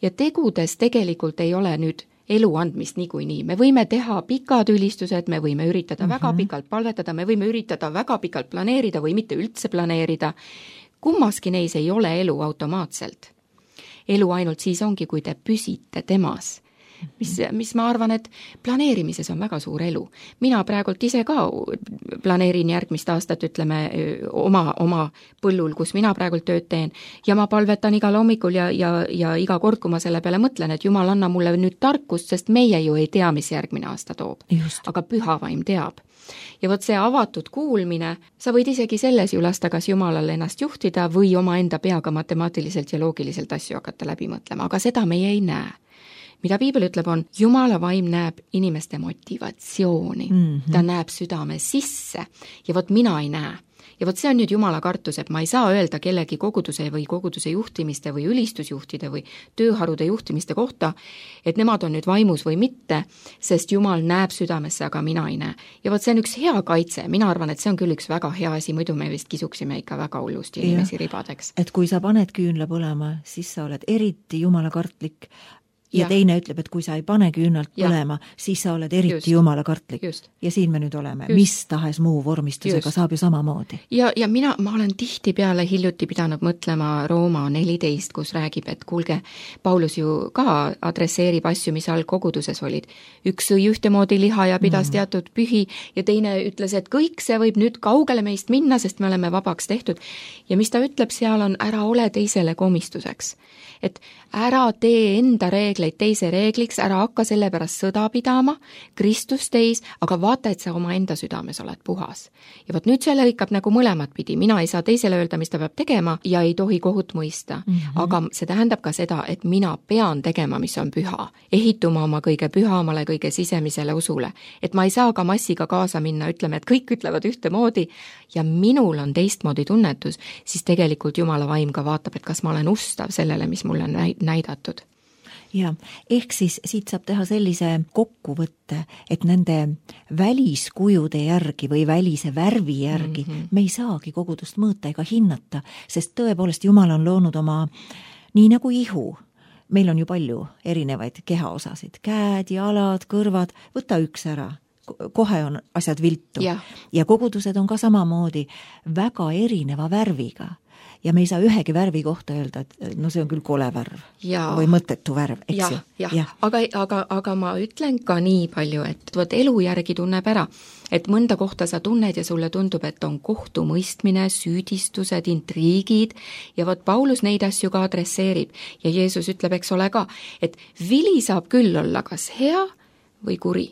Ja tegudes tegelikult ei ole nüüd elu andmist niikuinii. Me võime teha pikad ülistused, me võime üritada mm-hmm. väga pikalt palvetada, me võime üritada väga pikalt planeerida või mitte üldse planeerida. Kummaski neis ei ole elu automaatselt. Elu ainult siis ongi, kui te püsite temas. Mis, mis ma arvan, et planeerimises on väga suur elu. Mina praegult ise ka planeerin järgmist aastat, ütleme, oma, oma põllul, kus mina praegult tööd teen ja ma palvetan igal hommikul ja, ja, ja iga kord, kui ma selle peale mõtlen, et Jumal, anna mulle nüüd tarkust, sest meie ju ei tea, mis järgmine aasta toob. Just. Aga pühavaim teab. Ja võt see avatud kuulmine, sa võid isegi selles ju lasta, kas Jumalal ennast juhtida või oma enda peaga matemaatiliselt ja loogiliselt asju hakata läbi mõtlema, aga seda meie ei näe. Mida Piibel ütleb on, Jumala vaim näeb inimeste motivatsiooni. Mm-hmm. Ta näeb südame sisse ja vot mina ei näe. Ja vot see on nüüd Jumala kartus, et ma ei saa öelda kellegi koguduse või koguduse juhtimiste või ülistusjuhtide või tööharude juhtimiste kohta, et nemad on nüüd vaimus või mitte, sest Jumal näeb südamesse, aga mina ei näe. Ja vot see on üks hea kaitse, mina arvan, et see on küll üks väga hea asi, muidu me vist kisuksime ikka väga hullusti inimesi ribadeks. Et kui sa paned küünla põlema, siis sa oled eriti Jumala kartlik. Ja, ja teine ütleb, et kui sa ei pane küünalt põlema, siis sa oled eriti just. Jumala kartlik. Just. Ja siin me nüüd oleme. Just. Mis tahes muu vormistusega just. Saab ju samamoodi. Ja, ja mina, ma olen tihti peale hiljuti pidanud mõtlema Rooma neliteist, kus räägib, et kuulge, Paulus ju ka adresseerib asju, mis all koguduses olid. Üks sõi ühtemoodi liha ja pidas mm. teatud pühi ja teine ütles, et kõik see võib nüüd kaugele meist minna, sest me oleme vabaks tehtud. Ja mis ta ütleb seal on, ära ole teisele komistuseks. Et ära tee enda reegleid teise reegliks, ära hakka selle pärast sõda pidama, Kristus teis, aga vaata, et sa oma enda südames oled puhas. Ja võt nüüd see lõikab nagu mõlemat pidi, mina ei saa teisele öelda, mis ta peab tegema ja ei tohi kohut mõista. Mm-hmm. Aga see tähendab ka seda, et mina pean tegema, mis on püha, ehituma oma kõige pühamale, kõige sisemisele usule. Et ma ei saa ka massiga kaasa minna, ütleme, et kõik ütlevad ühtemoodi ja minul on teistmoodi tunnetus, siis tegelikult Jumala vaim ka vaatab, et kas ma olen ustav sellele, mis mulle on näidatud. Ja, ehk siis siit saab teha sellise kokkuvõtte, et nende väliskujude järgi või välise värvi järgi mm-hmm. me ei saagi kogudust mõõta ega hinnata, sest tõepoolest Jumal on loonud oma nii nagu ihu. Meil on ju palju erinevaid kehaosasid, käed, jalad, kõrvad, võta üks ära. kohe on asjad viltu. Ja. ja kogudused on ka samamoodi väga erineva värviga. Ja me ei saa ühegi värvi kohta öelda, et no see on küll kole värv ja. või mõttetu värv, eks ja, ju. Ja. Ja. Aga, aga, aga ma ütlen ka nii palju, et võt elu järgi tunneb ära, et mõnda kohta sa tunned ja sulle tundub, et on kohtumõistmine, süüdistused, intriigid ja vot Paulus neid asju ka adresseerib ja Jeesus ütleb, eks ole ka, et vili saab küll olla kas hea või kuri.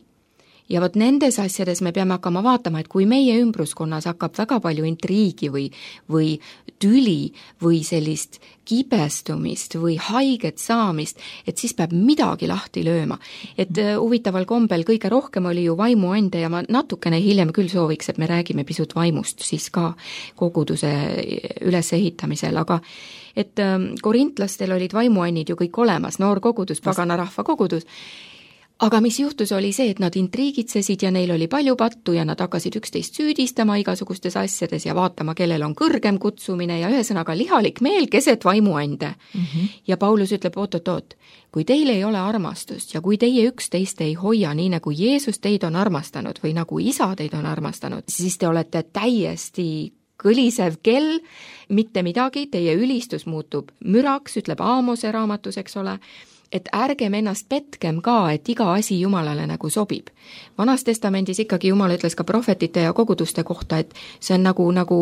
Ja vot nendes asjades me peame hakkama vaatama, et kui meie ümbruskonnas hakkab väga palju intriigi või, või tüli või sellist kibestumist või haiget saamist, et siis peab midagi lahti lööma. Et uh, huvitaval kombel kõige rohkem oli ju vaimuande ja ma natukene hiljem küll sooviks, et me räägime pisut vaimust siis ka koguduse ülesehitamisel, aga et um, korintlastel olid vaimuannid ju kõik olemas, noor kogudus, pagana rahva kogudus. Aga mis juhtus oli see, et nad intriigitsesid ja neil oli palju pattu ja nad hakkasid üksteist süüdistama igasugustes asjades ja vaatama, kellel on kõrgem kutsumine ja ühesõnaga lihalik meel keset vaimuande. Mm-hmm. Ja Paulus ütleb, oot-oot-oot, kui teil ei ole armastust ja kui teie üksteist ei hoia nii, nagu Jeesus teid on armastanud või nagu isa teid on armastanud, siis te olete täiesti kõlisev kell, mitte midagi, teie ülistus muutub müraks, ütleb Aamose raamatus, eks ole, et ärgem ennast petkem ka, et iga asi Jumalale nagu sobib. Vanas testamendis ikkagi Jumal ütles ka prohvetite ja koguduste kohta, et see on nagu, nagu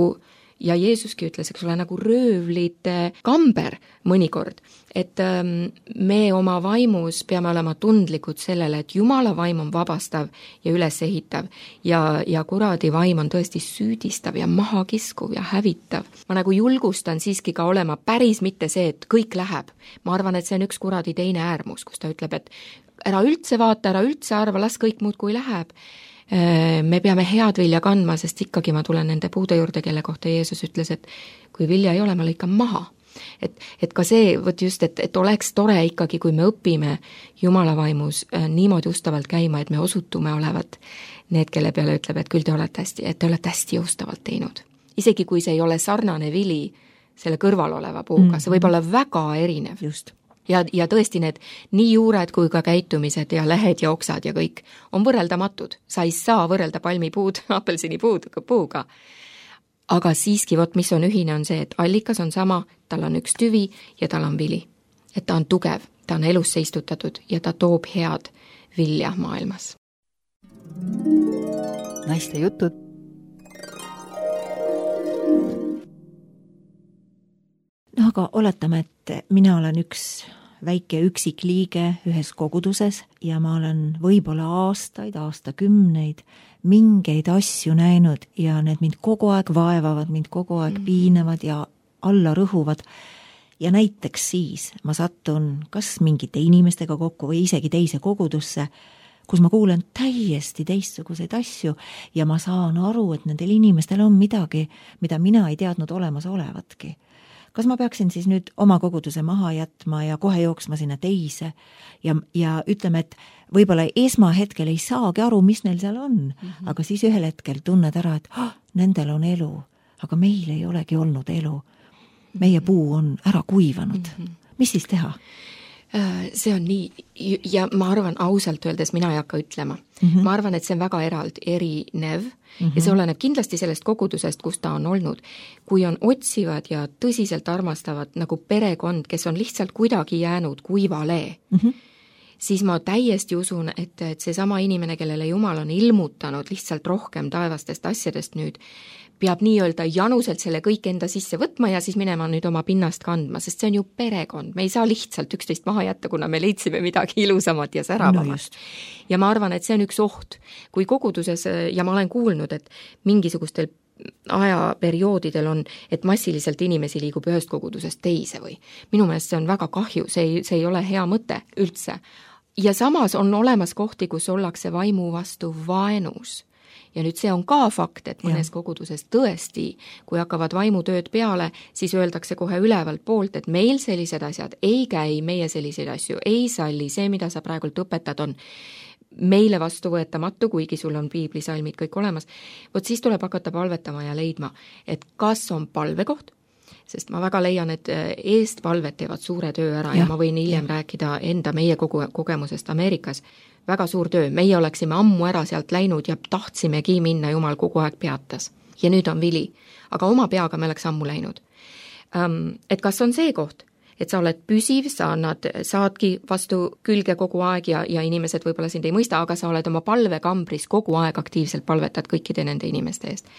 ja Jeesuski ütles, eks ole, nagu röövlite kamber mõnikord, et ähm, me oma vaimus peame olema tundlikud sellele, et Jumala vaim on vabastav ja ülesehitav ja, ja kuradi vaim on tõesti süüdistav ja mahakiskuv ja hävitav. Ma nagu julgustan siiski ka olema päris mitte see, et kõik läheb. Ma arvan, et see on üks kuradi teine äärmus, kus ta ütleb, et ära üldse vaata, ära üldse arva, las kõik muud kui läheb. Me peame head vilja kandma, sest ikkagi ma tulen nende puude juurde, kelle kohta Jeesus ütles, et kui vilja ei ole, ma lõikan maha. Et, et ka see, võt just, et, et oleks tore ikkagi, kui me õpime Jumala vaimus niimoodi ustavalt käima, et me osutume olevat need, kelle peale ütleb, et küll te olete hästi, et te olete hästi ustavalt teinud. Isegi kui see ei ole sarnane vili selle kõrval oleva puuga, see võib olla väga erinev. Just. Ja, ja tõesti need nii juured kui ka käitumised ja lehed ja oksad ja kõik on võrreldamatud. Sa ei saa võrrelda palmipuud, apelsinipuud puuga. Aga siiski, vot mis on ühine, on see, et allikas on sama, tal on üks tüvi ja tal on vili. Et ta on tugev, ta on elusse istutatud ja ta toob head vilja maailmas. Naiste jutud. No aga oletame, et mina olen üks väike üksik liige ühes koguduses ja ma olen võib-olla aastaid, aastakümneid mingeid asju näinud ja need mind kogu aeg vaevavad, mind kogu aeg piinavad ja alla rõhuvad. Ja näiteks siis ma sattun kas mingite inimestega kokku või isegi teise kogudusse, kus ma kuulen täiesti teistsuguseid asju ja ma saan aru, et nendel inimestel on midagi, mida mina ei teadnud olemas olevatki. Kas ma peaksin siis nüüd oma koguduse maha jätma ja kohe jooksma sinna teise ja, ja ütleme, et võib-olla esmahetkel ei saagi aru, mis neil seal on, mm-hmm. aga siis ühel hetkel tunned ära, et ah, nendel on elu, aga meil ei olegi olnud elu. Meie puu on ära kuivanud. Mm-hmm. Mis siis teha? See on nii, ja ma arvan ausalt öeldes, mina ei hakka ütlema. Mm-hmm. Ma arvan, et see on väga erald, erinev mm-hmm. ja see oleneb kindlasti sellest kogudusest, kus ta on olnud. Kui on otsivad ja tõsiselt armastavad nagu perekond, kes on lihtsalt kuidagi jäänud kuivale, mm-hmm. siis ma täiesti usun, et, et see sama inimene, kellele Jumal on ilmutanud lihtsalt rohkem taevastest asjadest nüüd, peab nii-öelda januselt selle kõik enda sisse võtma ja siis minema nüüd oma pinnast kandma, sest see on ju perekond. Me ei saa lihtsalt üksteist maha jätta, kuna me leidsime midagi ilusamat ja säravamat. No ja ma arvan, et see on üks oht. Kui koguduses, ja ma olen kuulnud, et mingisugustel ajaperioodidel on, et massiliselt inimesi liigub ühest kogudusest teise või. Minu meelest see on väga kahju, see ei, see ei ole hea mõte üldse. Ja samas on olemas kohti, kus ollakse vaimu vastu vaenus. Ja nüüd see on ka fakt, et mõnes ja. Koguduses tõesti, kui hakkavad vaimutööd peale, siis öeldakse kohe ülevalt poolt, et meil sellised asjad ei käi, meie selliseid asju ei salli, see, mida sa praegult õpetad, on meile vastuvõetamatu, kuigi sul on piiblisalmid kõik olemas. Vot siis tuleb hakata palvetama ja leidma, et kas on palvekoht, sest ma väga leian, et eestpalvet teevad suure töö ära ja, ja ma võin hiljem ja. rääkida enda meie kogu kogemusest Ameerikas. Väga suur töö, meie oleksime ammu ära sealt läinud ja tahtsimegi minna, Jumal kogu aeg peatas. Ja nüüd on vili, aga oma peaga me oleks ammu läinud. Um, et kas on see koht, et sa oled püsiv, sa annad, saadki vastu külge kogu aeg ja, ja inimesed võib-olla sind ei mõista, aga sa oled oma palvekambris kogu aeg aktiivselt palvetad kõikide nende inimeste eest.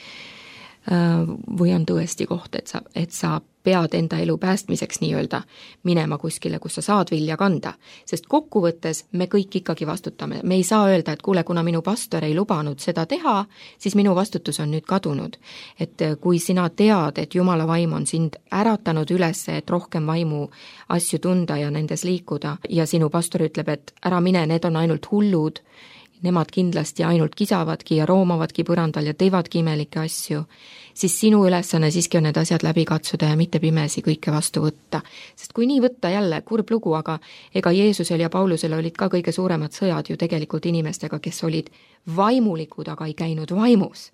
Või on tõesti koht, et sa, et sa pead enda elu päästmiseks nii-öelda minema kuskile, kus sa saad vilja kanda. Sest kokkuvõttes me kõik ikkagi vastutame. Me ei saa öelda, et kuule, kuna minu pastor ei lubanud seda teha, siis minu vastutus on nüüd kadunud. Et kui sina tead, et Jumala vaim on sind äratanud üles, et rohkem vaimu asju tunda ja nendes liikuda ja sinu pastor ütleb, et ära mine, need on ainult hullud, nemad kindlasti ainult kisavadki ja roomavadki põrandal ja teevadki imelikke asju, siis sinu ülesanne siiski on need asjad läbi katsuda ja mitte pimesi kõike vastu võtta. Sest kui nii võtta jälle, kurb lugu, aga ega Jeesusel ja Paulusel olid ka kõige suuremad sõjad ju tegelikult inimestega, kes olid vaimulikud, aga ei käinud vaimus.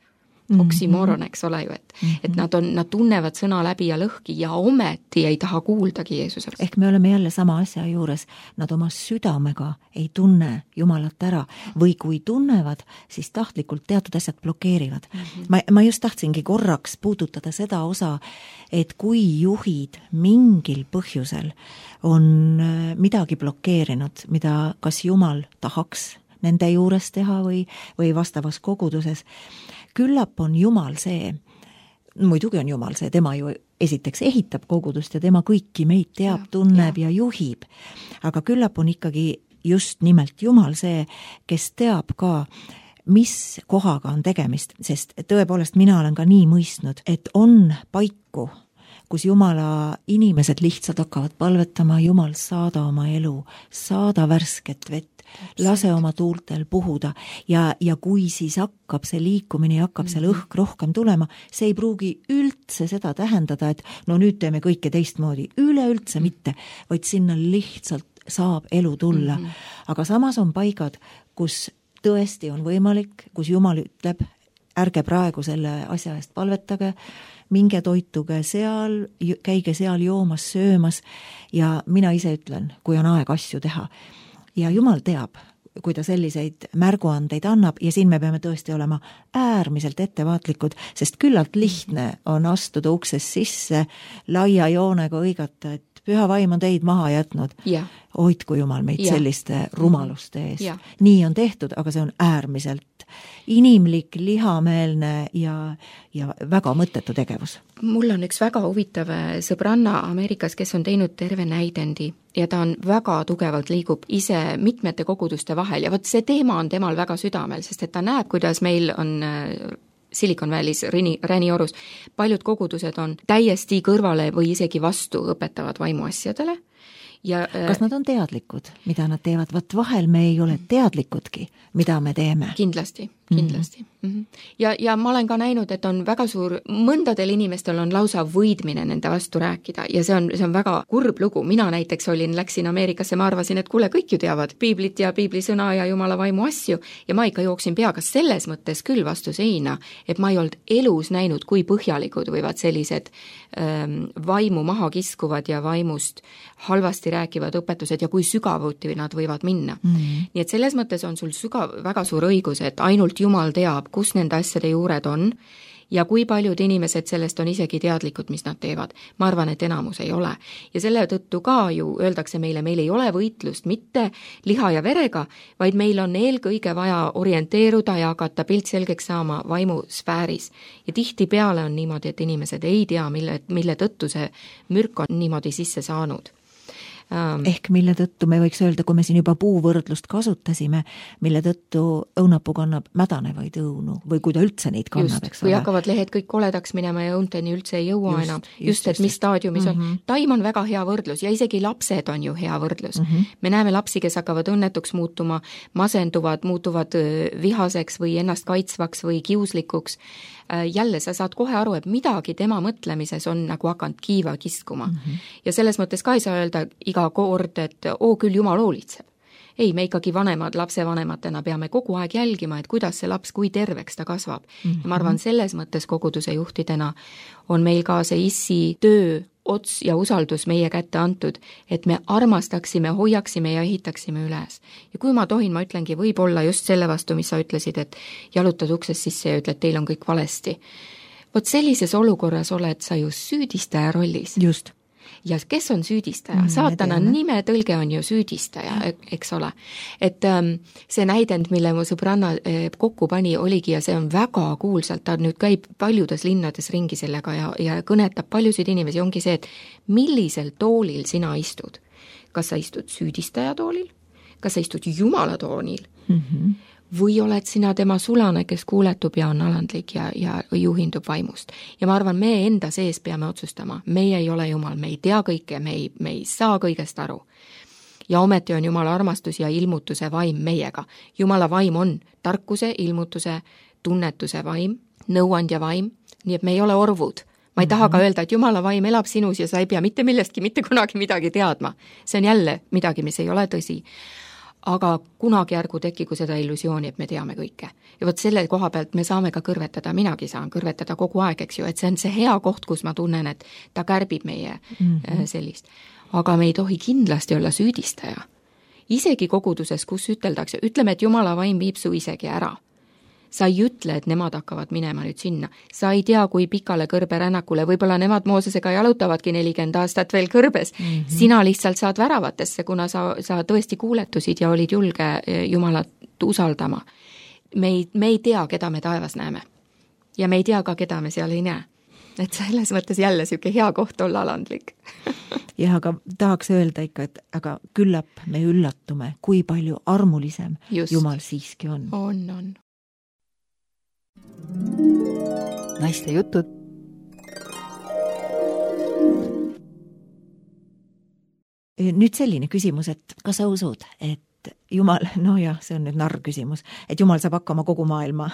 Oksimoron, eks ole ju, et, et nad, on, nad tunnevad sõna läbi ja lõhki ja ometi ei taha kuuldagi Jeesusest. Ehk me oleme jälle sama asja juures, nad oma südamega ei tunne Jumalat ära või kui tunnevad, siis tahtlikult teatud asjad blokeerivad. Mm-hmm. Ma, ma just tahtsingi korraks puudutada seda osa, et kui juhid mingil põhjusel on midagi blokeerinud, mida kas Jumal tahaks nende juures teha või, või vastavas koguduses, küllap on Jumal see, muidugi on Jumal see, tema ju esiteks ehitab kogudust ja tema kõiki meid teab, tunneb ja, ja juhib. Aga küllap on ikkagi just nimelt Jumal see, kes teab ka, mis kohaga on tegemist, sest tõepoolest mina olen ka nii mõistnud, et on paiku, kus Jumala inimesed lihtsalt hakkavad palvetama, Jumal saada oma elu, saada värsket vett, lase oma tuultel puhuda ja, ja kui siis hakkab see liikumine ja hakkab seal õhk rohkem tulema, see ei pruugi üldse seda tähendada, et no nüüd teeme kõike teistmoodi, üleüldse mitte, vaid sinna lihtsalt saab elu tulla. Mm-hmm. Aga samas on paigad, kus tõesti on võimalik, kus Jumal ütleb, ärge praegu selle asja eest palvetage, minge toituge seal, käige seal joomas, söömas ja mina ise ütlen, kui on aeg asju teha. Ja Jumal teab, kui ta selliseid märguandeid annab ja siin me peame tõesti olema äärmiselt ettevaatlikud, sest küllalt lihtne on astuda ukses sisse, laia joonega õigata, et püha vaim on teid maha jätnud. Ja. Hoidku Jumal meid ja. selliste rumaluste eest. Ja. Nii on tehtud, aga see on äärmiselt inimlik, lihameelne ja, ja väga mõttetu tegevus. Mul on üks väga huvitav sõbranna Ameerikas, kes on teinud terve näidendi ja ta on väga tugevalt liigub ise mitmete koguduste vahel ja võt see teema on temal väga südamel, sest et ta näeb, kuidas meil on Silicon Valley's, Räniorus, paljud kogudused on täiesti kõrvale või isegi vastu õpetavad vaimuasjadele. Ja, kas nad on teadlikud, mida nad teevad? Vat vahel me ei ole teadlikudki, mida me teeme. Kindlasti, kindlasti. Mm-hmm. Ja, ja ma olen ka näinud, et on väga suur, mõndadel inimestel on lausa võidmine nende vastu rääkida ja see on, see on väga kurb lugu. Mina näiteks olin, läksin Ameerikasse, ma arvasin, et kuule, kõik ju teavad piiblit ja piiblisõna ja Jumala vaimu asju ja ma ikka jooksin peaga selles mõttes küll vastu seina, et ma ei olnud elus näinud, kui põhjalikud võivad sellised ähm, vaimu maha kiskuvad ja vaimust halvasti rääkivad õpetused ja kui sügavuti nad võivad minna. Mm-hmm. Nii et selles mõttes on sul sügav, väga suur õigus, et ainult Jumal teab, kus nende asjade juured on ja kui paljud inimesed sellest on isegi teadlikud, mis nad teevad. Ma arvan, et enamus ei ole. Ja selle tõttu ka ju öeldakse meile, meil ei ole võitlust mitte liha ja verega, vaid meil on eelkõige vaja orienteeruda ja hakata pilt selgeks saama vaimusfääris. Ja tihtipeale on niimoodi, et inimesed ei tea, mille, mille tõttu see mürk on niimoodi sisse saanud. Ehk mille tõttu me võiks öelda, kui me siin juba puuvõrdlust kasutasime, mille tõttu õunapuu kannab mädanevaid õunu või kui ta üldse neid kannab, eks ole. Või hakkavad lehed kõik koledaks minema ja õunteni üldse ei jõua just, enam. Just, just, et mis staadiumis mm -hmm. on. Taim on väga hea võrdlus ja isegi lapsed on ju hea võrdlus. Mm -hmm. Me näeme lapsi, kes hakkavad õnnetuks muutuma, masenduvad, muutuvad vihaseks või ennast kaitsvaks või kiuslikuks. Jälle sa saad kohe aru, et midagi tema mõtlemises on nagu hakanud kiiva kiskuma. Mm-hmm. Ja selles mõttes ka ei saa öelda iga kord, et oo küll Jumal hoolitseb. ei, me ikkagi vanemad, lapsevanematena peame kogu aeg jälgima, et kuidas see laps, kui terveks ta kasvab. Mm-hmm. Ja ma arvan, selles mõttes koguduse juhtidena on meil ka see issi töö, ots ja usaldus meie kätte antud, et me armastaksime, hoiaksime ja ehitaksime üles. Ja kui ma tohin, ma ütlengi, võib-olla just selle vastu, mis sa ütlesid, et jalutad uksest sisse ja ütled, teil on kõik valesti. Vot sellises olukorras oled sa ju süüdistaja rollis. Just. Ja kes on süüdistaja? Mm, Saatana nime tõlge on ju süüdistaja, eks ole. Et ähm, see näidend, mille mu sõbranna äh, kokku pani, oligi ja see on väga kuulsalt, ta nüüd käib paljudes linnades ringi sellega ja, ja kõnetab paljusid inimesi, ongi see, et millisel toolil sina istud. Kas sa istud süüdistaja toolil? Kas sa istud Jumala toolil? Mm-hmm. Või oled sina tema sulane, kes kuuletub ja on alandlik ja, ja juhindub vaimust. Ja ma arvan, me enda sees peame otsustama. Meie ei ole Jumal, me ei tea kõike, me ei, me ei saa kõigest aru. Ja ometi on Jumala armastus ja ilmutuse vaim meiega. Jumala vaim on tarkuse, ilmutuse, tunnetuse vaim, nõuandja vaim, nii et me ei ole orvud. Ma ei taha ka öelda, et Jumala vaim elab sinus ja sa ei pea mitte millestki, mitte kunagi midagi teadma. See on jälle midagi, mis ei ole tõsi. Aga kunagi järgu tekigu seda illusiooni, et me teame kõike. Ja vot selle koha pealt me saame ka kõrvetada, minagi saan kõrvetada kogu aeg, eks ju, et see on see hea koht, kus ma tunnen, et ta kärbib meie mm-hmm. sellist. Aga me ei tohi kindlasti olla süüdistaja. Isegi koguduses, kus üteldakse, ütleme, et Jumala vaim viib su isegi ära. Sa ei ütle, et nemad hakkavad minema nüüd sinna. Sa ei tea, kui pikale kõrberännakule, võib-olla nemad Moosesega jalutavadki nelikümmend aastat veel kõrbes. Mm-hmm. Sina lihtsalt saad väravatesse, kuna sa, sa tõesti kuuletusid ja olid julge Jumalat usaldama. Me ei, me ei tea, keda me taevas näeme. Ja me ei tea ka, keda me seal ei näe. Et selles mõttes jälle siuke hea koht olla alandlik. Jah, aga tahaks öelda ikka, et aga küllap me üllatume, kui palju armulisem Just. Jumal siiski on. On, on. Naiste jutud. Nüüd selline küsimus, et kas sa usud, et Jumal, no jah, see on nüüd narr küsimus, et Jumal saab hakkama kogu maailma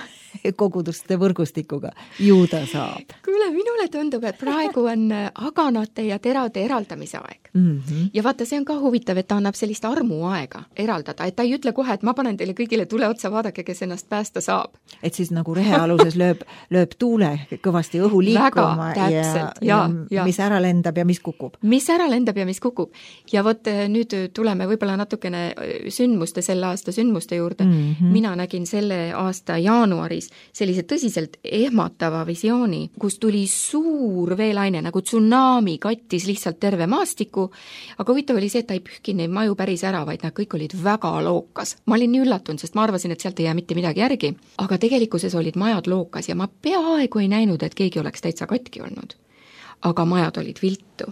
koguduste võrgustikuga. Ju ta saab. Kuule, minule tundub, et praegu on aganate ja terade eraldamise aeg. Mm-hmm. Ja vaata, see on ka huvitav, et ta annab sellist armu aega eraldada, et ta ei ütle kohe, et ma panen teile kõigile tule otsa, vaadake, kes ennast päästa saab. Et siis nagu rehealuses lööb, lööb tuule kõvasti õhu liikuma Väga, ja, ja, ja mis ära lendab ja mis kukub. Mis ära lendab ja mis kukub. Ja vot nüüd tuleme võib-olla natukene sündmuste, selle aasta sündmuste juurde. Mm-hmm. Mina nägin selle aasta jaanuaris sellise tõsiselt ehmatava visiooni, kus tuli suur veelaine, nagu tsunami kattis lihtsalt terve maastiku, aga huvitav oli see, et ta ei pühkinud neid maju päris ära, vaid nad kõik olid väga lookas. Ma olin nii üllatunud, sest ma arvasin, et sealt ei jää mitte midagi järgi, aga tegelikkuses olid majad lookas ja ma peaaegu ei näinud, et keegi oleks täitsa katki olnud. Aga majad olid viltu.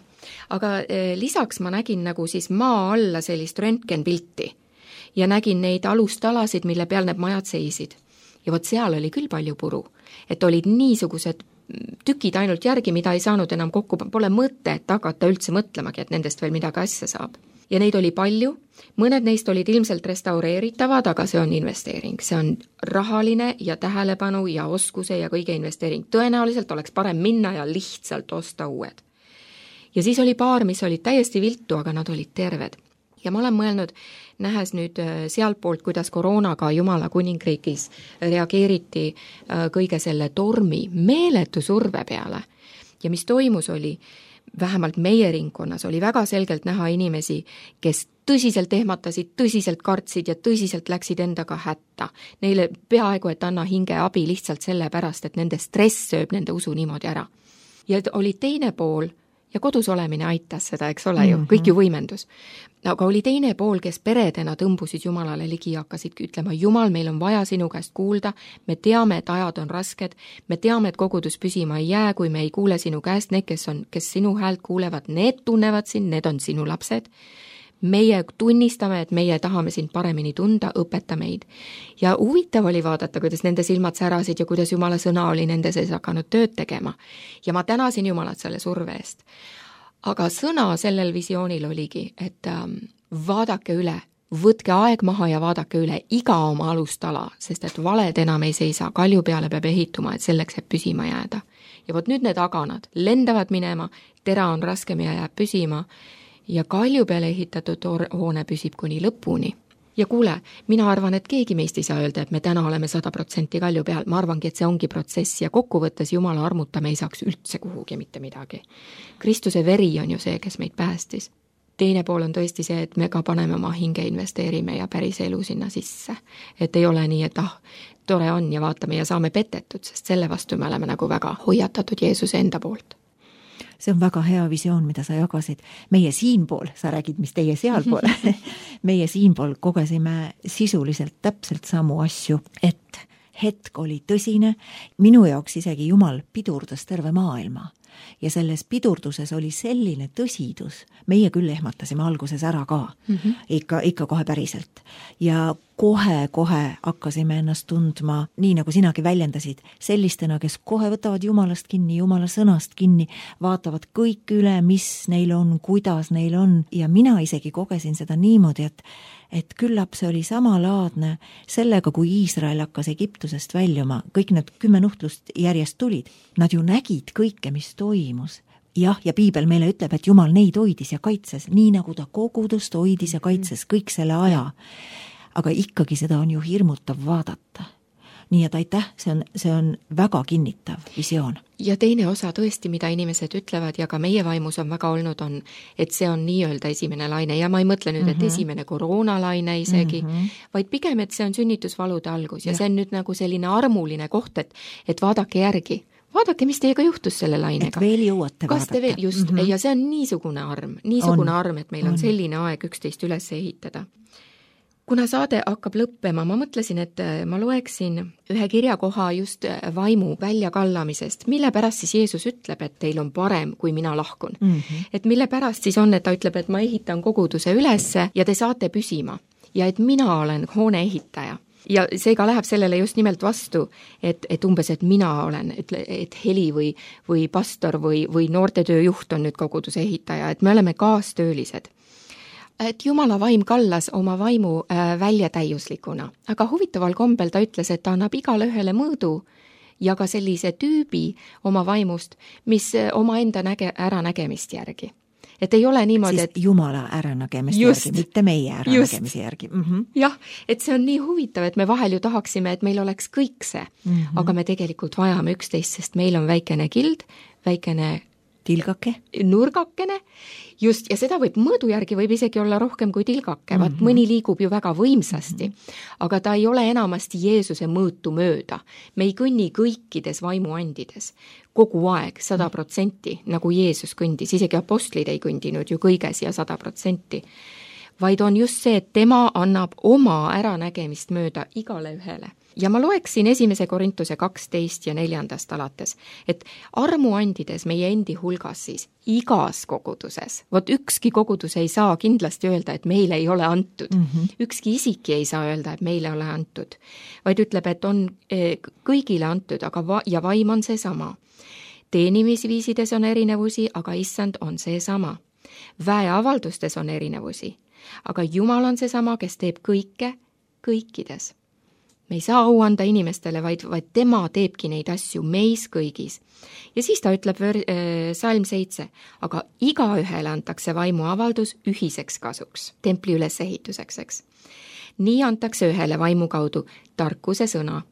Aga eh, lisaks ma nägin nagu siis maa alla sellist röntgenpilti ja nägin neid alustalasid, mille peal need majad seisid. Ja vot seal oli küll palju puru, et olid niisugused tükid ainult järgi, mida ei saanud enam kokku, pole mõtet hakata üldse mõtlemagi, et nendest veel midagi asja saab. Ja neid oli palju, mõned neist olid ilmselt restaureeritavad, aga see on investeering. See on rahaline ja tähelepanu ja oskuse ja kõige investeering. Tõenäoliselt oleks parem minna ja lihtsalt osta uued. Ja siis oli paar, mis olid täiesti viltu, aga nad olid terved. Ja ma olen mõelnud, nähes nüüd sealtpoolt, kuidas koroonaga Jumala kuningriigis reageeriti kõige selle tormi meeletu surve peale. Ja mis toimus oli, vähemalt meie ringkonnas oli väga selgelt näha inimesi, kes tõsiselt ehmatasid, tõsiselt kartsid ja tõsiselt läksid endaga hätta. Neile peaaegu, et anna hinge abi lihtsalt selle pärast, et nende stress sööb nende usu niimoodi ära. Ja oli teine pool, ja kodus olemine aitas seda, eks ole ju, kõik ju võimendus. Aga oli teine pool, kes peredena tõmbusid Jumalale ligi ja hakkasid ütlema, Jumal, meil on vaja sinu käest kuulda, me teame, et ajad on rasked, me teame, et kogudus püsima ei jää, kui me ei kuule sinu käest, need, kes, on, kes sinu häält kuulevad, need tunnevad sind, need on sinu lapsed. Meie tunnistame, et meie tahame sind paremini tunda, õpeta meid. Ja huvitav oli vaadata, kuidas nende silmad särasid ja kuidas Jumala sõna oli nende sees hakanud tööd tegema. Ja ma tänasin Jumalat selle surve eest. Aga sõna sellel visioonil oligi, et ähm, vaadake üle, võtke aeg maha ja vaadake üle iga oma alustala, sest et valed enam ei seisa, kalju peale peab ehituma, et selleks jääb püsima jääda. Ja vot nüüd need aganad lendavad minema, tera on raskem ja jääb püsima, ja kalju peale ehitatud hoone püsib kuni lõpuni. ja kuule, mina arvan, et keegi meist ei saa öelda, et me täna oleme sada protsenti kalju peal, ma arvangi, et see ongi protsess ja kokkuvõttes Jumala armuta me ei saaks üldse kuhugi mitte midagi. Kristuse veri on ju see, kes meid päästis. Teine pool on tõesti see, et me ka paneme oma hinge, investeerime ja päris elu sinna sisse. Et ei ole nii, et ah, tore on ja vaatame ja saame petetud, sest selle vastu me oleme nagu väga hoiatatud Jeesuse enda poolt. See on väga hea visioon, mida sa jagasid. Meie siinpool, sa räägid, mis teie sealpool, meie siinpool kogesime sisuliselt täpselt samu asju, et hetk oli tõsine, minu jaoks isegi Jumal pidurdas terve maailma. Ja selles pidurduses oli selline tõsidus, meie küll ehmatasime alguses ära ka, mm -hmm. ikka, ikka kohe päriselt. Ja kohe-kohe hakkasime ennast tundma, nii nagu sinagi väljendasid, sellistena, kes kohe võtavad Jumalast kinni, Jumala sõnast kinni, vaatavad kõik üle, mis neil on, kuidas neil on. Ja mina isegi kogesin seda niimoodi, et et küllap see oli samalaadne sellega, kui Iisrael hakkas Egiptusest väljuma, kõik need kümme nuhtlust järjest tulid. Nad ju nägid kõike, mis toimus. Jah, ja Piibel meile ütleb, et Jumal neid hoidis ja kaitses, nii nagu ta kogudust hoidis ja kaitses kõik selle aja. Aga ikkagi seda on ju hirmutav vaadata. Nii et aitäh, see on, see on väga kinnitav visioon. Ja teine osa tõesti, mida inimesed ütlevad ja ka meie vaimus on väga olnud, on, et see on nii-öelda esimene laine ja ma ei mõtle nüüd, et mm -hmm. esimene koroonalaine isegi, mm -hmm. vaid pigem, et see on sünnitusvalude algus ja, ja see on nüüd nagu selline armuline koht, et, et vaadake järgi. Vaadake, mis teiega juhtus selle lainega. Et veel jõuate Kas te veel, just, mm -hmm. ja see on niisugune arm, niisugune on. arm, et meil on, on selline aeg üksteist üles ehitada. Kuna saade hakkab lõppema, ma mõtlesin, et ma loeksin ühe kirjakoha just vaimu väljakallamisest, mille pärast siis Jeesus ütleb, et teil on parem, kui mina lahkun. Mm -hmm. Et mille pärast siis on, et ta ütleb, et ma ehitan koguduse ülesse ja te saate püsima ja et mina olen hoone ehitaja. Ja seega läheb sellele just nimelt vastu, et, et umbes, et mina olen, et, et heli või, või pastor või, või noortetööjuht on nüüd koguduse ehitaja, et me oleme kaastöölised. Et Jumala vaim kallas oma vaimu äh, väljatäiuslikuna, aga huvitaval kombel ta ütles, et ta annab igale ühele mõõdu ja ka sellise tüübi oma vaimust, mis oma enda näge, äranägemist järgi. Et ei ole niimoodi, siis et Jumala äranägemist järgi, mitte meie äranägemist järgi. Mm -hmm. Jah, et see on nii huvitav, et me vahel ju tahaksime, et meil oleks kõik see, mm -hmm. aga me tegelikult vajame üksteist, sest meil on väikene kild, väikene tilgake, nurgakene, just, ja seda võib mõõdu järgi võib isegi olla rohkem kui tilgake, vaat mm -hmm. mõni liigub ju väga võimsasti, mm -hmm. aga ta ei ole enamasti Jeesuse mõõtu mööda. Me ei kõnni kõikides vaimuandides kogu aeg sada protsenti, nagu Jeesus kõndis, isegi apostlid ei kõndinud ju kõiges ja sada protsenti, vaid on just see, et tema annab oma äranägemist mööda igale ühele. Ja ma loeksin esimese Korintuse kaksteist ja neljandast alates, et armuandides meie endi hulgas siis igas koguduses, vot ükski kogudus ei saa kindlasti öelda, et meile ei ole antud. Mm -hmm. Ükski isiki ei saa öelda, et meile ei ole antud, vaid ütleb, et on kõigile antud, aga va- ja vaim on seesama. Teenimisviisides on erinevusi, aga issand on seesama. Väeavaldustes on erinevusi, aga Jumal on seesama, kes teeb kõike kõikides. Me ei saa au anda inimestele, vaid, vaid tema teebki neid asju meis kõigis. Ja siis ta ütleb ver-, äh, salm seitse, aga igaühele antakse vaimuavaldus ühiseks kasuks, templi ülesehituseks, eks. Nii antakse ühele vaimu kaudu tarkuse sõna,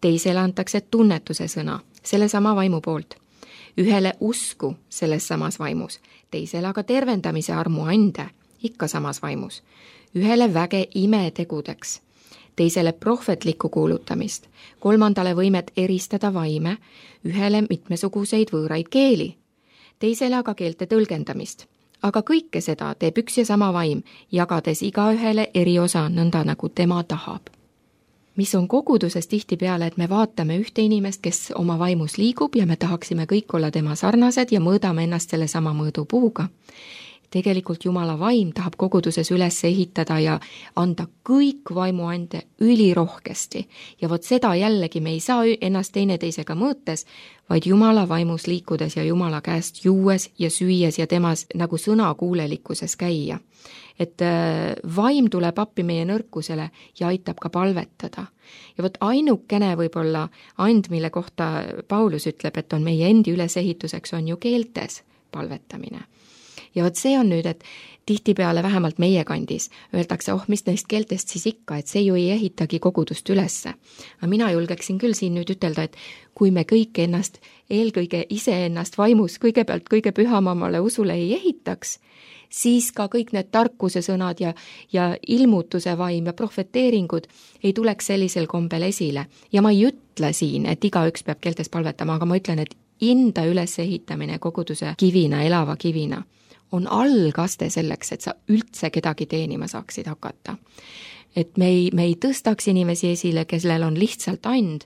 teisele antakse tunnetuse sõna, selle sama vaimu poolt, ühele usku selles samas vaimus, teisele aga tervendamise armu ande, ikka samas vaimus, ühele väge imetegudeks, teisele prohvetlikku kuulutamist, kolmandale võimet eristada vaime, ühele mitmesuguseid võõraid keeli, teisele aga keelte tõlgendamist. Aga kõike seda teeb üks ja sama vaim, jagades igaühele eri osa nõnda, nagu tema tahab. Mis on koguduses tihtipeale, et me vaatame ühte inimest, kes oma vaimus liigub ja me tahaksime kõik olla tema sarnased ja mõõdame ennast selle sama mõõdupuuga. Tegelikult Jumala vaim tahab koguduses üles ehitada ja anda kõik vaimuande ülirohkesti. Ja vot seda jällegi me ei saa ennast teineteisega mõõtes, vaid Jumala vaimus liikudes ja Jumala käest juues ja süües ja temas nagu sõnakuulelikkuses käia. Et vaim tuleb appi meie nõrkusele ja aitab ka palvetada. Ja vot ainukene võib-olla and, mille kohta Paulus ütleb, et on meie endi ülesehituseks, on ju keeltes palvetamine. ja vot see on nüüd, et tihtipeale vähemalt meie kandis öeldakse, oh, mis neist keeltest siis ikka, et see ju ei ehitagi kogudust ülesse. Aga mina julgeksin küll siin nüüd ütelda, et kui me kõik ennast, eelkõige iseennast vaimus kõigepealt kõige pühamamale usule ei ehitaks, siis ka kõik need tarkuse sõnad ja, ja ilmutuse vaim ja profeteeringud ei tuleks sellisel kombel esile. Ja ma ei ütle siin, et igaüks peab keeltes palvetama, aga ma ütlen, et inda üles ehitamine koguduse kivina, elava kivina on algaste selleks, et sa üldse kedagi teenima saaksid hakata. Et me ei, me ei tõstaks inimesi esile, kellel on lihtsalt and,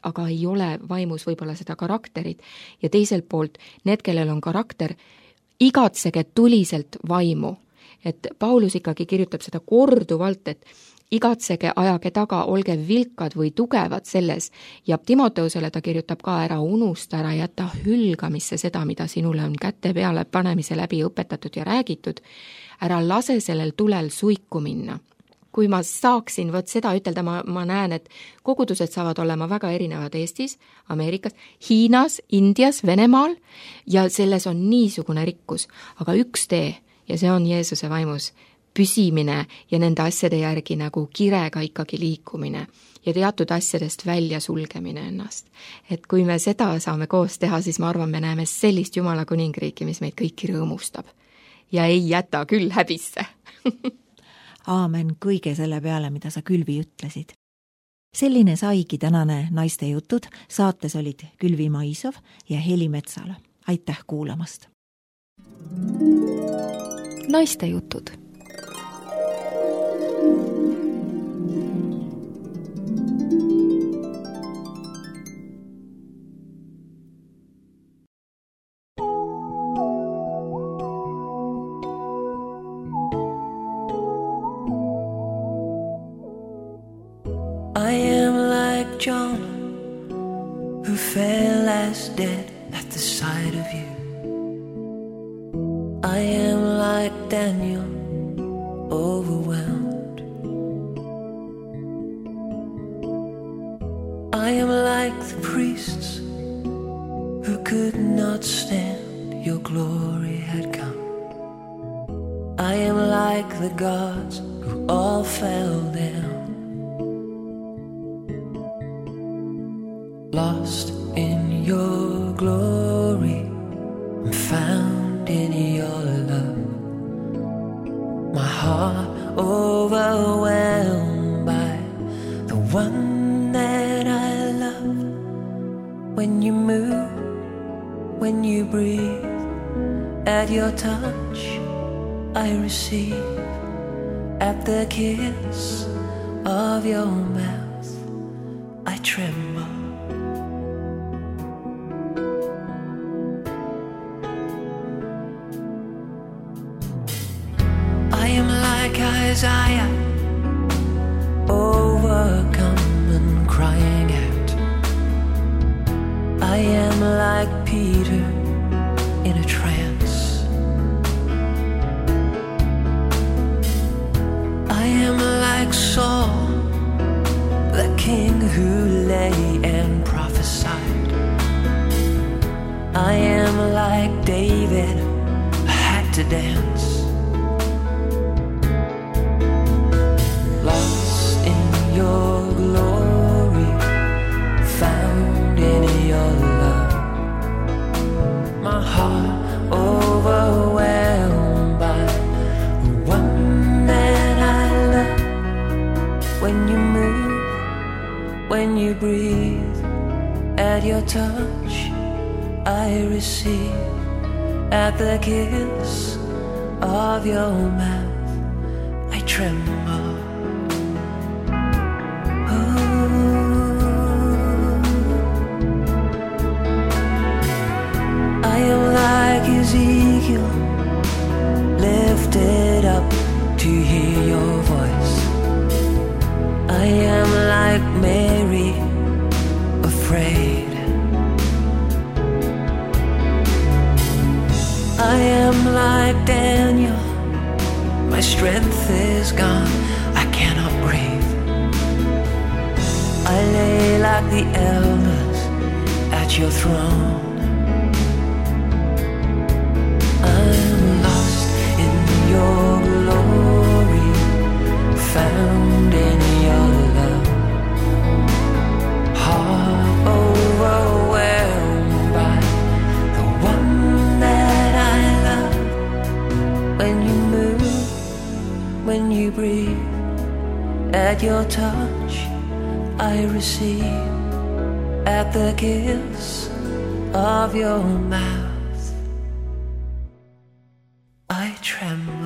aga ei ole vaimus võib-olla seda karakterit. Ja teiselt poolt, need, kellel on karakter, igatsege tuliselt vaimu. Et Paulus ikkagi kirjutab seda korduvalt, et igatsege, ajage taga, olge vilkad või tugevad selles. Ja Timoteusele ta kirjutab ka ära, unusta ära, jäta hülgamisse seda, mida sinule on kätte peale panemise läbi õpetatud ja räägitud. Ära lase sellel tulel suiku minna. Kui ma saaksin võt seda ütelda, ma, ma näen, et kogudused saavad olema väga erinevad Eestis, Ameerikas, Hiinas, Indias, Venemaal ja selles on niisugune rikkus. Aga üks tee ja see on Jeesuse vaimus püsimine ja nende asjade järgi nagu kirega ikkagi liikumine ja teatud asjadest välja sulgemine ennast. Et kui me seda saame koos teha, siis ma arvan, me näeme sellist Jumala kuningriiki, mis meid kõiki rõõmustab ja ei jäta küll häbisse. Aamen kõige selle peale, mida sa Külvi ütlesid. Selline saigi tänane Naiste jutud. Saates olid Külvi Maisov ja Heli Metsala. Aitäh kuulamast! Naiste jutud. I am like John, who fell as dead at the sight of you. I am like Daniel, overwhelmed. I am like the priests who could not stand, your glory had come. I am like the gods who all fell down. Lost in your glory, I'm found in your love. My heart overwhelmed by the one that I love. When you move, when you breathe, at your touch I receive. At the kiss of your mouth I tremble. Isaiah, overcome and crying out. I am like Peter in a trance. I am like Saul, the king who lay and prophesied. I am like David, I had to dance. Your glory, found in your love. My heart overwhelmed by the one that I love. When you move, when you breathe, at your touch I receive. At the kiss of your mouth I tremble. Ezekiel, lifted up to hear your voice. I am like Mary, afraid. I am like Daniel, my strength is gone, I cannot breathe. I lay like the elders at your throne. I'm lost when you move, when you breathe. At your touch I receive, at the kiss of your mouth I tremble.